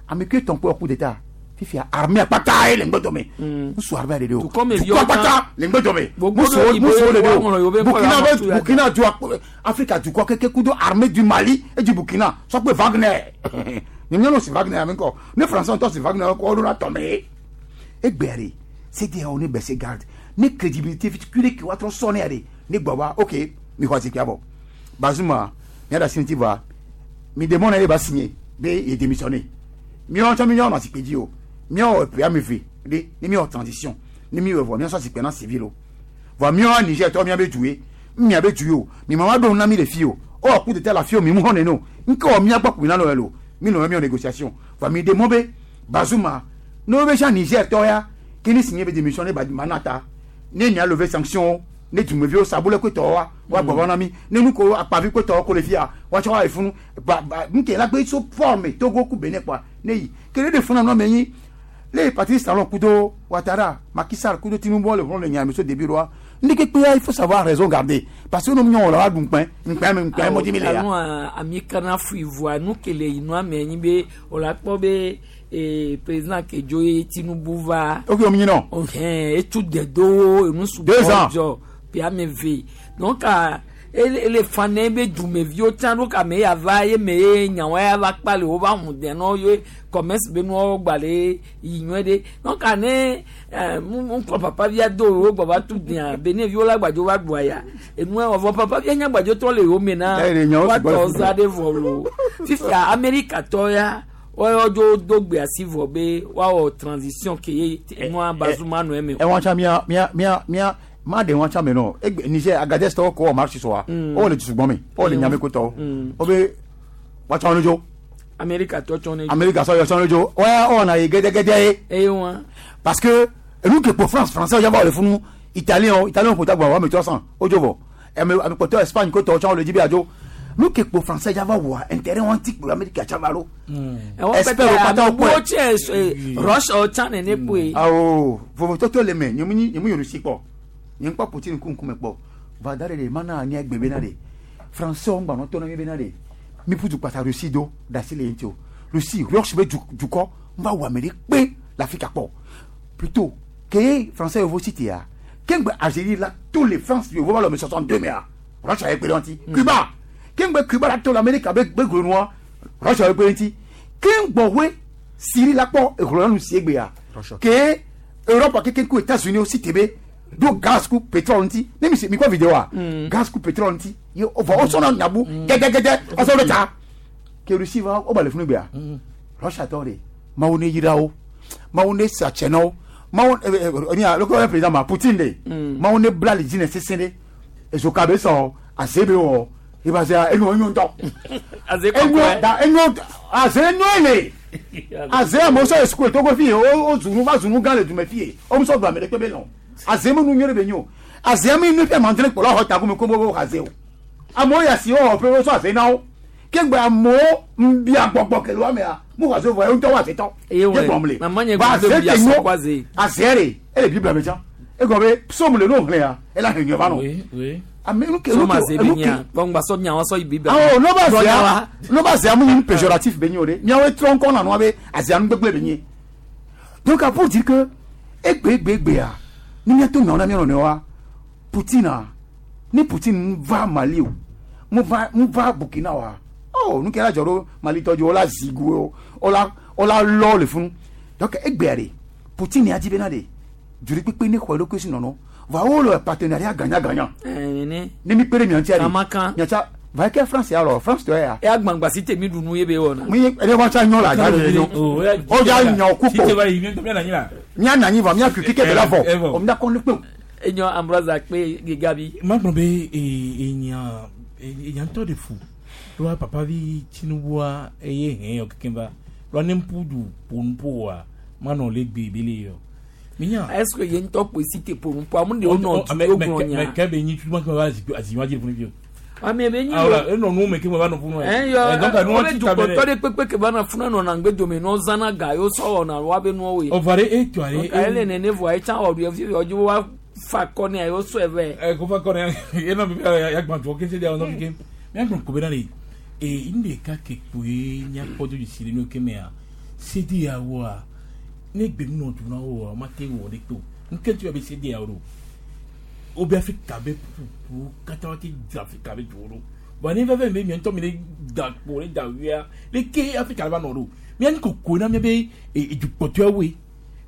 ame ke tɔn kpɔ coup d'état fifia armée akpata ye le ŋgbe dɔme ŋusu armée de o Dukɔ me viwo dukɔ akpata le ŋgbe dɔme Gbogbo muso ɖo muso de yibo woaŋlɔ o yewo be ŋkɔ Burkina la be tu ya Burkina du Afrika dukɔ keke kudo armée du Mali et du Burkina sɔkpe Wagner nyɔnyɔnu si Wagner ami kɔ ne français ŋutɔ si Wagner kɔ ɔɖo la tɔmɛ egbea de CEDEAO ne bɛsɛ garde ne crédibilité fi kule ke woatrɔ sɔ ne ya de ne gbɔ wa ok mi xɔ zikpia bɔ Bazoum mia da siniti va mi demande ne ba signer be ye démissionner miɔ tsɔ mi nyɔ nɔ zikpui dzi o miɔ ƒe ame eve Ɖe ne mi wɔ transition ne mi wɔ vɔ miasɔ zikpɛ na civil o vɔ miɔ Niger tɔ mia be du ye mia be du ye o mi ma wa ɖo na mi le fi o o wɔ coup d'état la fi o mi mu xɔ nene o nke wɔ mia gbɔ kumi na nɔ yɛ lo mi nɔ miɔ négociation vɔ mi de mɔ be Bazoum ne wo be sia Niger tɔ ya ke ne signé be démission ne ba mana ta ne mia lever sanction ne dumeviwo sabule ko tɔwo wa wa gbɔ na mi ne nu ko akpavi ko tɔwo ko le fia wa tsɔ wa le funu ba ba nke la gbe so forme Togo ku Benin kɔa ne yi ke ne de funu nɔ me nyi le Patrice Talon kudo Ouattara Macky Sall kudo Tinubu le vont le nyame so début roi ndeke kpe il faut savoir raison garder parce que nous nyɔ la wa dun kpɛ nkpɛ mi nkpɛ mo di mi le ya. Anu ami kana fui voa nu kele yi nua me nyi be o la kpɔ be ee président kedzo ye Tinubu va. Ok omi nyi nɔ. Ɔhɛn etu dedowo enu Deux ans. sugbɔ dzɔ pe ame ve donc a ele ele fa ne be dumeviwo tsã ɖo kame ya va ye me ye nyawo ya va kpa le wo va hu de nɔ ye commerce be nuwo gba le yi nyuie ɖe donc a ne ɛ mu mu kɔ papa via do wo gbɔ va tu dea beneviwo la gbadzo va ɖua ya enua wɔ vɔ papa via nya gbadzo trɔ le yewo me na Ya, ye nyawo wa sugbɔ le tɔ fi. za ɖe vɔ lo fifia amerikatɔ ya wɔyɔ dzo do gbe asi vɔ be woawɔ transition ke ye nua Bazoum nɔ eme o. Ɛwɔn tsa mia mia mia mia ma de wɔn tsa me nɔ egbe Niger Agadez tɔwo ko wɔ marche sɔ wa o le dusugbɔn mi o le nyame ko tɔwo o be wa tsɔ nu dzo amerikatɔ tsɔ ne. Amérique sɔ yɔ tsɔ nu dzo wɔya ɔna ye gɛdɛgɛdɛ ye. Eye wa. Parce que enu ke kpo France français yaba le funu italien italien ko tagba wa me 300 o dzo vɔ ame ame kpɔtɔ Espagne ko tɔ tsɔ le dzi be adzo nu ke kpo français yaba wa intérêt wɔn ti kpo Amérique tsaba lo. Ɛwɔ Expert pɛtɛ wo katã ame wokpɔe. wo tsɛ rush ɔtsa nene kpoe. Awo vovototo le me nye mu nyi nye mu Russie kpɔ nye ŋkpɔ Poutine ku ŋkume kpɔ va da ɖe ɖe mana anya gbe bena ɖe français wo ŋgba nɔ tɔ na mi bena ɖe mi ƒu du kpata Russie do da asi le ye ŋuti o Russie Russe be du dukɔ ŋva wɔ ame ɖe kpe le Afrika kpɔ plutôt ke français yevo si tia ke ŋgbe Algérie la to le France yevo va le me 62 mea Russia ye kpe ɖe ŋuti Cuba ke ŋgbe Cuba la to le Amerika be be glonua Russia ye kpe ɖe ŋuti ke ŋgbɔwoe Syrie la kpɔ ehlɔ̃ nu si egbea ke Europe keke ku États-Unis aussi tebe do gaz ku pétrole ŋuti ne mi se mi kpɔ vidéo a gaz ku pétrole ŋuti ye vɔ wosɔna nyabu gɛgɛgɛdɛ ɔsɔ ɖe ta ke Russie va wo ba le funu gbea Russia tɔ de Mawu ne yra wo Mawu ne sa tsɛ na wo Mawu ɛ ɛ ɛ lɔkɔ yɛ président ma Poutine de Mawu ne bla le dzi ne sese de ezoka be sɔ aze be wɔ eba se enyo enyo ŋutɔ Aze enyo da enyo aze enyo le aze amewo sɔ le sukulu togo fi ye wo wo zunu va zunu gã le dume fi ye wo musɔ do ame ɖe kpe be lɔn aze me nu nyuie ɖe be nyo aze mi nu ƒe mandre kplɔ xɔ ta gome ko wo aze o amewo ya si wo xɔ ƒe wo sɔ aze na wo ke gbe amewo ŋbia gbɔgbɔ ke le wo amea mu xɔ aze vɔ ye ŋutɔ wo aze tɔ Eye wɔ gblɔm le mama nye Va gblɔ be aze bia ke sɔ nyo kɔ aze. aze ɖe ele biblia me tsã egɔme be psaume le no xlẽa ela he nyɔ va nɔ Oui, oui. ame nu ke So nu ma ke ze be nu ke nya gbɔngbà sɔ nya wa sɔ yi biblia. awo n'o b'a Gblɔ nya wa. zia n'o b'a zia mun péjoratif bɛ ɲɛ o de miawo trɔ ŋkɔ na nua be azia nu gbegble bɛ ɲɛ donc a pour dire que egbe egbe egbea ni miato nyawo na mia nɔnɔewoa Poutine a ni Poutine va Mali o mu va mu va Burkina wa oh nu kɛra jɔ ɖo Mali tɔ dzi o la zigu o o la o la lɔ le funu donc egbea de Poutine ya di bena de joli kpekpe ne xɔ eɖokui si nɔnɔ va wo le partenariat gagnant gagnant Nene. ne mi kpe ɖe mia ŋutia de Kamakan. mia ŋutia va ke France ya lɔ France tɔ ya E agbangba si te mi ɖu nu ye be wɔna. mi ene wa tsa nyɔ la dza le nyɔ o dza nyɔ Si te kuko va yi, mía nanyi la. mía nanyi vɔ mía kiki ke be la Eh, eh, vɔ vɔ. o mía kɔ ne kpe o. Enyo Ambroise akpe Gabi. Ma gblɔ be enya enya ŋutɔ de fu ɖoa papa vi Tinubua eye hɛn yɔ kekem va ɖoa ne ŋpu du ƒo wa manɔ le gbe be le yɔ. Minya. Est-ce que ye ŋutɔ kpoe si te ƒo nu ƒo amu de wo nɔ du wo gblɔ nya. Mɛ kɛ be nyi tuma kɛ va azi wa dzi funu fi o. Ame be nyi Ah, voilà, enɔ nu me ke me va nɔ funu. Ɛn yɔ donc nu wo wa be ti ta dukɔtɔ bɛ ɖe kpekpe ke va na funu nɔna ŋgbe dome nɔ zãna ga yewo sɔ wɔna wa be nuwo ye. Ɔvɔ ɖe etu ale. Donc ele nene vɔa etsã wɔ ɖu efi yɔ dzi wa fa kɔ ne yewo sɔe vɛ. Ɛ ko fa kɔ ne ena bi ya gbã tɔ kese de awɔ nɔ fi ke mía gblɔ ko bena le ee nu ɖeka ke kpoe míakpɔ do dzesi le nu ke mea CEDEAO ne gbe nu nɔ du na woa ma te wɔ ɖe kpe o nu ke tu be CEDEAO ɖo wo be Afrika be ƒuƒu katã wa te dze Afrika be duwo ɖo bɔn ne fɛn fɛn be mía ŋutɔ mi le da kpo le da wia le ke Afrika va nɔ ɖo mía nu koko na mía be edukpɔtɔawoe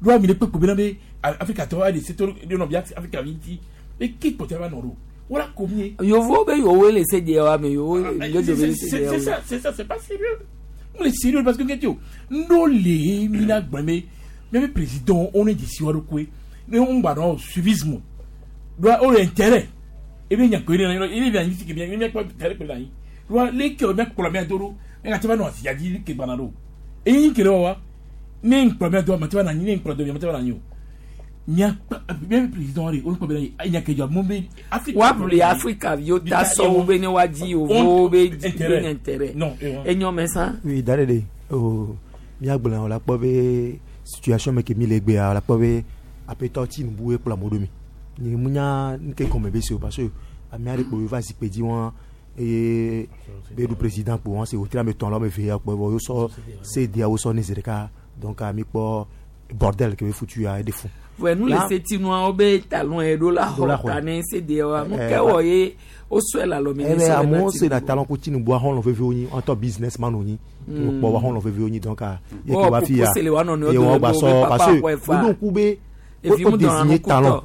ɖoa mi le kpekpe bena be Afrika tɔ aɖe se to ɖe nɔ bi Afrika vi ŋuti le ke kpɔtɔa va nɔ ɖo wala ko mi ye. Yovo be yowo le CEDEAO me yowo ŋgbe dome le C'est CEDEAO. ça, c'est ça, c'est pas sérieux. On est sérieux parce que qu'est-ce que nous les mina gbame Miabe président wo ne dzesi wa ɖokoe ne wo ŋgba nɔ suivisme ɖoa wo le intérêt ebe nya koe ne na ebe mia anyi ke mia mia kpɔ intérêt kpe le anyi ɖoa leke wo mia kplɔ mia do ɖo mia gate va nɔ azia dzi ke gbana ɖo eyi ke le wɔwa ne ŋkplɔ mia do mate va nɔ anyi ne ŋkplɔ do mia mate va nɔ anyi o mia miabe président ɖe wo kpɔ be enya ke dzɔ mo be Afrique woaʋli Afrika viwo ta sɔwo be ne woadzi yevowo be dzi be nye intérêt. Non, Enyɔ me sã. Oui, da ɖe ɖe o míagblɔ o la kpɔ be situation me ke mi le egbea o la kpɔ be aƒetɔ Tinubu ye kplɔ amewo ɖo mi. Nye mu nya nu ke gɔme be se o parce que ame aɖe kpo va zikpui dzi wɔn eye be ɖu président kpo wɔn se wòtre ame etɔ̃ la ame eve ya kpɔ vɔ wosɔ CEDEAO wosɔ ne zi ɖeka donc mi kpɔ bordel ke be futu ya eɖe fu. Vɔe nu le setinuawo be talon ye ɖo la xɔ ta ne CEDEAO nu ke wɔ ye wosɔe le alɔme ne Ebe sɔ le amewo na se na Tinubu. talon ko Tinubu axɔlɔ veviwo nyi ɔtɔ businessman wo nyi Mm. wokpɔ waxɔlɔ veviwo nyi donc ah, ye Wɔ ke wa fi ya popo se le wa nɔnɔewo ye dome wɔn gba be sɔ wobe papa parce que xɔe fa. woɖo ŋku be Evi wo mu dɔnna désigné nu kutɔ. talon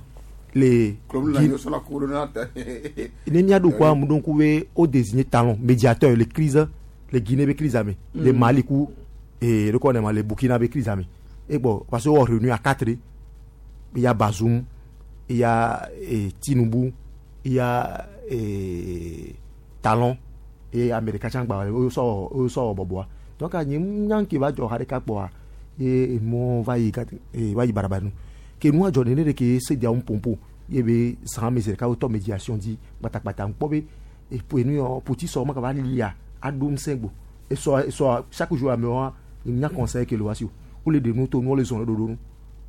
le ne míaɖo ŋku amewo ɖo ŋku be wo désigné talon médiateur le crise le Guinée be crise me le Mali ku ee le kɔ ne ma le Burkina be crise me egbɔ parce que wowɔ réunion à quatre il y a Bazoum il y a Tinubu il y a Talon et Américain tsã gba wosɔ wosɔ wɔ bɔbɔa donc nye nya ke va dzɔ xa ɖeka kpɔa ye emɔ va yi gat va yi baraba nu ke nua dzɔ nene ɖe ke CEDEAO ŋpompo ye be zã me zi ɖeka wotɔ médiation dzi kpatakpata ŋkpɔ be epo enu yɔ poti sɔ ma kaba lia aɖo ŋusẽ gbo esɔ esɔ chaque jour amewoa nya conseil ke le wa si o wole ɖe nu to nu wole zɔn ɖe ɖoɖo nu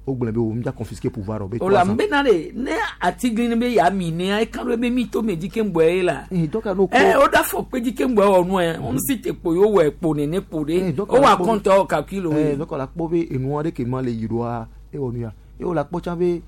wogblɔ be wo mia confisquer pouvoir o be O la nbena de ne atiglinyi be ya mi nea eka ɖo be mi to me dzi ke ŋgbɔ ye la. Ɛ o da fɔ kpe dzi ke ŋgbɔ wɔ nua ŋu si te kpo yewo wɔ ekpo nene kpo ɖe o wa kɔntɔ wɔ kakui le wo ye. Donc la kpɔ be enua ɖe ke nua le yi ɖoa ewɔ nu ya ye wo la kpɔ tsã be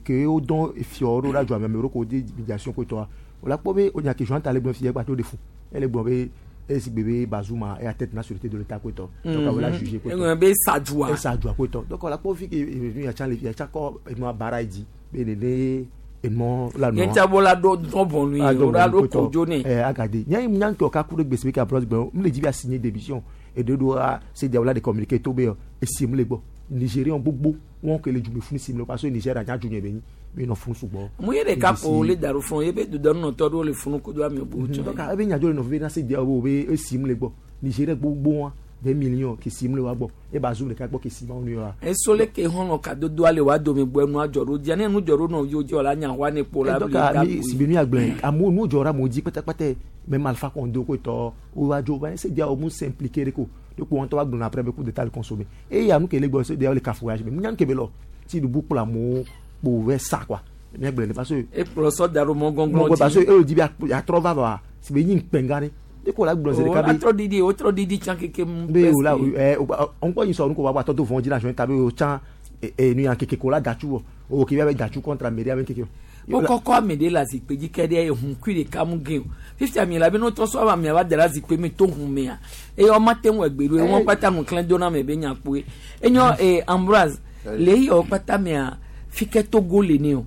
ke wo dɔn efiɔ ɖo la dzɔ ame ɖo ko de médiation ko tɔa o la kpɔ be o nya ke Jean ta le gblɔ fi gba to de fu ele gblɔ be esi gbe be Bazoum eya tête na sûreté de l'état ko tɔ donc o la jugé ko tɔ Eŋlɔ be sadua. Esadua ko tɔ donc o la kpɔ fi ke enu ya tsã le fi ya tsã kɔ enua bara yi dzi be nene enua la nɔ Nye tsa bo la ɖo dɔn bɔnu ye o la ɖo kodzo ne. Agade nya nya ŋutɔ ka ku ɖe gbèsè be ka bros gbɛ m le dzi be asigné démission eɖe ɖo a CEDEAO la de communiqué to be esi m le gbɔ Nigérian gbogbo wɔn ke le dzume funu si m le parce que Niger anya dzu nye be nyi mi nɔ funu sugbɔ. Mu ye ɖeka po le da ɖo funu ye be dodɔnunɔtɔ ɖewo le funu kodo ame bubu tsɔ. Donc ebe nya dzo le nɔvi be na CEDEAO be be esi m le gbɔ Nigeria gbogbo wa des millions ke si m le wa gbɔ e Bazoum ɖeka gbɔ ke si ma wo nu yɔ. Eso le ke hɔn kadodo ale wa dome gbɔ enua dzɔ ɖo dzia ne nu dzɔ ɖo nɔviwo dzi wòle anya xɔa ne kpo la Donc bli da mi si be mi agblẽ amewo nu dzɔ ɖe amewo dzi kpatakpata même Alpha Condé ko tɔ wo va dzo va CEDEAO mu s'impliquer ɖe ko de ko wɔn tɔ va gblɔna après be coup d'état le consommé eye ya nu ke le gbɔ CEDEAO le cafouillage me nya nu ke be lɔ Tinubu kplɔ amewo kpo vɛ sa quoi mi agblẽ ne parce que Ekplɔ sɔ da ɖo mɔ gɔnglɔn mɔ parce que dzi. eye di be atrɔ va va si be nyi ŋkpɛngã ɖe de ko la gblɔ zi O ɖeka la be trɔ didi o trɔ didi tsã keke mu. be o la ɛ ŋkɔ yi sɔ nu ko wa tɔ to vɔn dzi la joint ta be o tsã ɛ nu ya keke ko la datsu wɔ o ke be datsu contre ameri ame keke Wo kɔkɔ ame ɖe le azikpui dzi ke ɖe ehun kui ɖeka mu ge o. Fifia mi la be ne wotrɔ sɔ ava amea va da ɖe azikpui me to hun mea eye wɔma te ŋu egbe ɖo ye wɔn kpata nu klẽ do na ame be nya kpoe. Enyɔ Ambroise le eyi wɔn kpata mea fi ke Togo le ne o.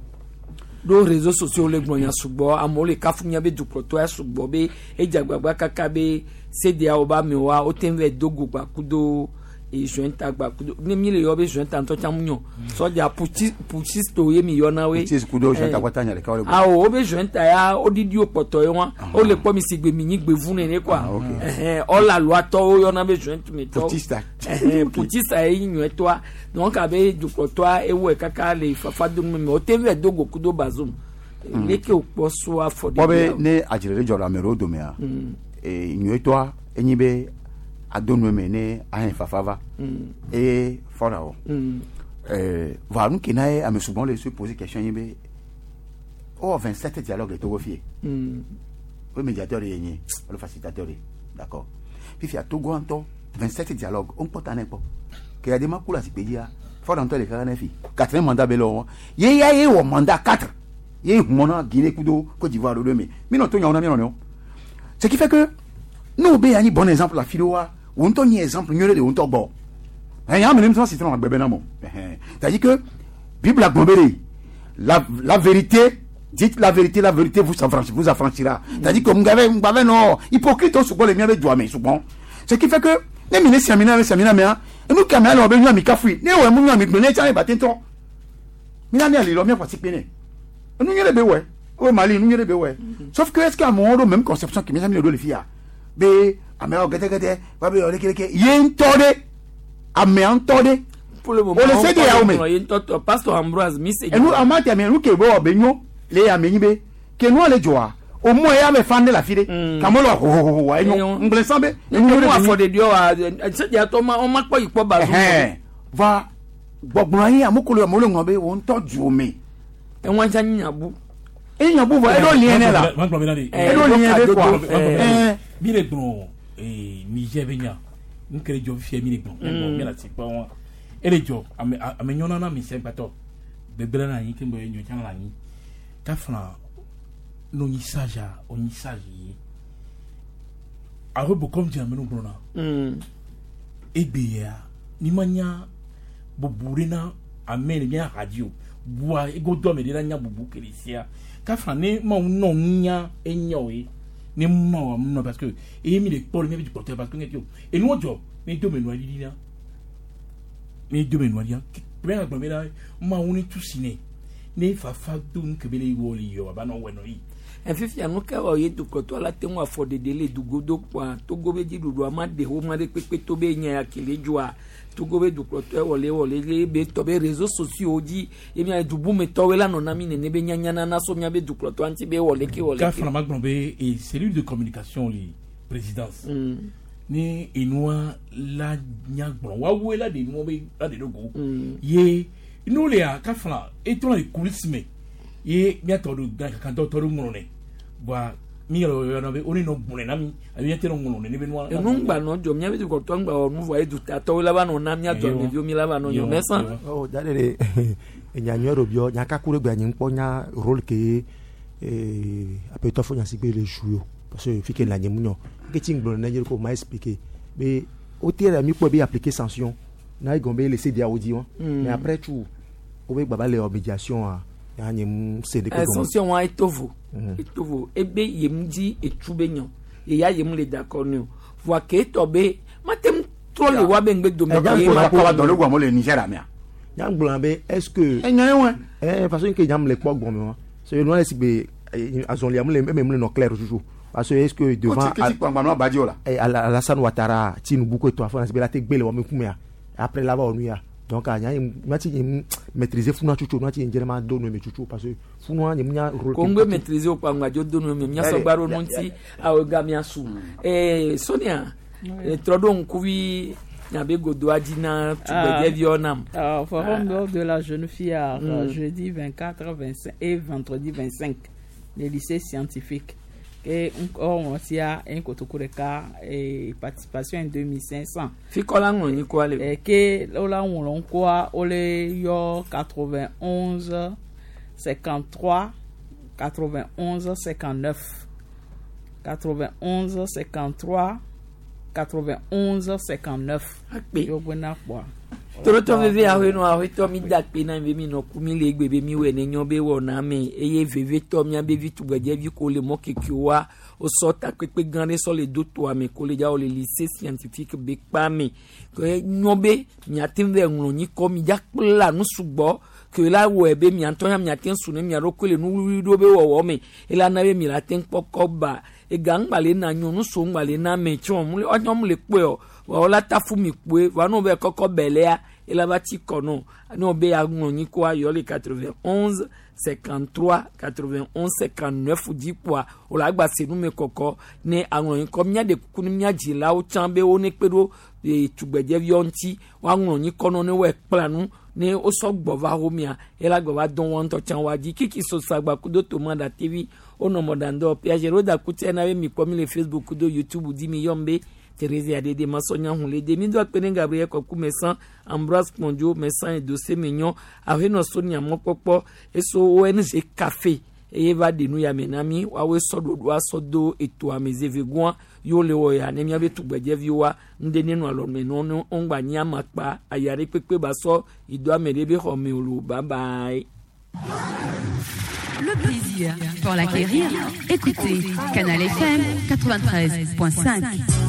Ɖo réseaux sociaux le gblɔ nya sugbɔ amewo le kafu mía be dukplɔtɔ ya sugbɔ be edze agbagba kaka be CEDEAO be amewoa wote ŋu va do go gba kudo jointa gba kudo ne mi le yɔ be jointa ŋutɔ tsã mu nyɔ sɔdza putschiste ye mi yɔna woe. Putschiste kudo jointa kpata nya ɖeka wole gblɔ. Awo wo be jointa ya woɖiɖi wo kpɔtɔ ye wa wole kpɔ mi si gbe mi nyi gbevu nene quoi. Ɔla aloatɔwo yɔna be jointe me tɔ. Putschista. Putschista ye nyi nyɔetɔa donc abe dukplɔtɔa ewɔe kaka le fafa dom me wote ŋu va do go kudo Bazoum. Leke wòkpɔ so afɔ Kpɔ be ne adzre ɖe dzɔ le ame ɖewo domea nyuietɔa enyi be ado nu me ne ahɛn fafa va eye fɔna o. Vɔa nu ke na ye ame sugbɔ le se poser question ye be wowɔ 27 dialogue le Togo fie. Wo médiateur ye nye alo facilitateur ye d'accord fifia Togo ŋutɔ 27 dialogue wo ŋkpɔ ta ne kpɔ ke ya de ma ku le azikpui dzia fɔna ŋutɔ le kaka ne fi quatrième mandat be le wɔm ye ya ye wɔ mandat 4 ye humɔ na Guinée kudo Côte d'Ivoire ɖoɖo me mi nɔ to nyawo na mi nɔnɔewo. Ce qui fait que nous be yanyi bon exemple la fi wa wo ŋutɔ nyi exemple nyuie ɖe le wo ŋutɔ gbɔ ɛn ame ne sɔ citron agbe be na mo. C'est-à-dire que Bible gblɔ be ɖe la vérité, dites la vérité, la vérité vous affranchira, vous affranchira. C'est-à-dire que ŋgbave ŋgbave nɔ hypocrite wo sugbɔ le mía be dua me sugbɔ. Ce qui fait que Ne mi ne si ami na ame si ami na amea, enu ke amea le wɔ be nyo ami kafui. Ne ewɔe mu nyo ami gblẽ ne etsa ne ba te ŋutɔ. Mi na mia li lɔ mia ƒo asikpe nɛ. Enu nyuie ɖe be wɔe. O Mali nu nyuie ɖe be wɔe. Sauf que est ce que amewo ɖo même conception ke mia mi le ɖo le fia be ameawo gɛdɛgɛdɛ va be yɔ lekeleke ye ŋutɔ ɖe amea ŋutɔ ɖe. Pour le moment, O le se de yawo me. Ye ŋutɔ tɔ pastor Ambroise mi se. Enu ama te ame nu ke be wɔ be nyo le ame nyi be ke nua le dzɔa o mɔ ya be fan ɖe le afi ɖe. Kame le hohoho wa enyo. Ŋgblẽ sã be Ne enu mu nyuie ɖe be afɔ nyo. ɖeɖiɔ wa sedia tɔ ma ɔma kpɔ yi kpɔ ba Ɛhɛn. Va gbɔgblɔ anyi ame ko le amewo le ŋlɔ be wo ŋutɔ dzo me. Eŋua tsa nyi nyabu. E nyabu vɔ eɖo lien ne la. Ma gblɔ bena de. Eɖo lien ɖe kɔa. Ɛn. Mi le gblɔ ee Niger be nya. Nu ke le dzɔ fifia mi le gblɔ. Mi gblɔ mi le asi kpɔ wa. Ele dzɔ ame ame nyɔna na mi se gbãtɔ. Gbegblẽ na anyi ke be nyɔ tsã na anyi. Kafla no nyi sage a o nyi sage ye. Alo bo comme dze ame nu gblɔna. Egbe ya mi ma nya bubu ɖe na ame le mía ha dzi o. Bua egodo ame ɖe la nya bubu ke le sia. Kafla ne mawu nɔ nunya enya o ye. Ne mawu amu nɔ parce que eye mi le kpɔ le mía be dzikpɔtɔ parce que ŋe ti o. Enuwo dzɔ ne do me nua ɖiɖi na. Ne do me nua ɖia. Kpe agblɔ be na mawu ne tu si ne. Ne fafa do nu ke be le wɔ le yɔ aba nɔ wɔ nɔ yi. Efifia nu ke wɔ ye dukplɔtɔ la te ŋu afɔ ɖeɖe le dugodo kpoa Togo be dziɖuɖua ma ɖe wo ma ɖe kpekpe to be nya ya ke le dzɔa Togo be dukplɔtɔ wɔ le wɔ le le be tɔ be réseaux sociaux dzi ye mia dubumetɔwoe la nɔ na mi nene be nyanya nana so mia be dukplɔtɔa ŋuti be wɔ leke wɔ leke. Kafla ma gblɔ be e cellule de communication le présidence. Ni enua la nya gblɔ woawoe la ɖe nua be la ɖe ɖo go. Ye nu lea kafla etrɔ le coulisse me ye miatɔ ɖo kakantɔ tɔ ɖo ŋlɔ nɛ. Voa mi yɔrɔ yɔrɔ be wo ne nɔ gblɔe na mi alo miate nɔ ŋlɔ nɛ ne be nua. Enu ŋgba nɔ dzɔ mia be dukplɔtɔ ŋgba wɔ nu vɔa ye dutatɔwoe la va nɔ na mia dɔ ameviwo mi la va nɔ nyɔ mɛsã. Oh, da ɖe ɖe enya nyuie ɖo biɔ nya kaku ɖe gbe anyi ŋkpɔ nya rôle ke ee aƒetɔ fo nya si gbe le jouer o parce que fi ke le anyi mu nyɔ ke tsi ŋgblɔ ne nye ko ma expliquer be o te ɖe mi kpɔ be appliquer sanction na egɔme be le se dia wo dzi wɔn mais après tout wo be gbaba le wɔ médiation a ya nye mu se ɖe Eh, sanction wa etovo etovo ebe yem dzi etsu be nyɔ eya yem le d'accord ne o voa ke etɔ be mate ŋu trɔ le wa be ŋgbe dome Nya ye ŋkɔ ma la kɔ va dɔ le gbɔ amewo le Niger amea. Nya gblɔ be est ce que. Enya ye wɛ. Eh parce que nya le kpɔ gbɔme wa so nua le si gbe azɔlia mu le eme mu le nɔ clair toujours parce que est ce que devant. Ko ti- ke ti kpangba nua badzi o la. Eh, Alassane Ouattara Tinubu ko etɔ afɔ na si be la te gbe le wɔme ŋkumea après la va wɔ nu ya donc a nya ye nua ti nye mu maîtriser funua tsotso nua ti nye dze ma do nu me tsotso parce que funua nye mu nya rôle. ko ŋgbe maîtriser o kpa ŋgbadzo do nu me miasɔ gba ɖo nu ŋuti awo ga miasu ee Sonia trɔ ɖo ŋkuvi nyabe godoa dzi na tugbedzeviwo nam. Ah, forum d'or de la jeune fille à, jeudi 24, 25 et vendredi 25, le lycée scientifique. Et encore, on tient un kotokureka et participation en 2500. Fikɔ la ŋlɔ nyi kɔa le. Et que là, on l'a quoi, on les yo 91 53 91 59 91 53 91 59. Akpe. Yo gbena kpɔa. Torotɔ veve aƒe nɔ aƒetɔ mi da akpe na mi be mi nɔ ku mi le egbe be mi wɔe ne nyɔ be wɔ na me eye vevetɔ miabe vi tugbedzevi ko le mɔ kekewoa wosɔ takpekpe gã ɖe sɔ le do toa me ko le dza wo le lycée scientifique be kpa me ke nyɔ be miate ŋu vɛ ŋlɔ nyikɔ mi dza kpla nu sugbɔ ke la wɔe be miatɔ ya miate ŋu su ne mia ɖokui le nuwuwui ɖo be wɔwɔ me ela na be mi la te ŋu kpɔ kɔba ega ŋgba le na nyɔnu so ŋgba le na me tsɔ mu le ɔnyɔ mu le kpɔe o wa la tafu mi kpoe wa n'o bɛ kɔkɔ bɛlɛa ela va tsi kɔ nɔ n'o bɛ ya ŋlɔ nyi koa yɔ le 91 53 91 59 dzi kpoa o la gba se nume kɔkɔ ne aŋlɔ nyi kɔ mía ɖe kuku ne mía dzilawo tsã be wo ne kpe ɖo ee tugbedzeviwo ŋuti woaŋlɔ nyi kɔ nɔ ne woe kpla nu ne wosɔ gbɔ va homea ela gbɔ va dɔn wɔn ŋutɔ tsã wa dzi kiki sosagba kudo tomada tv wonɔ mɔɖaŋdɔ piaget woda kutsia na be mi kpɔ mi le facebook kudo youtube dzi mi yɔm be Thérèse Adede Masonia Hunlede mi do akpe ne Gabriel Kɔku Mɛsan Ambroise Kpɔndzo Mɛsan Edose Menyɔ Ahenɔ Sonia Mɔkpɔkpɔ eso ONG Café eye va ɖe nu ya me na mi woawoe sɔ ɖoɖoa sɔ do etoa me zevegua yewo le wɔ ya ne miabe tugbedzeviwoa ŋɖe ne nɔ alɔme nɔ ne woŋgba nyi amakpa aya ɖe kpekpe ba sɔ yi do ame ɖe be xɔ me o lo bye bye. Le plaisir, pour l'acquérir, écoutez Canal FM 93.5.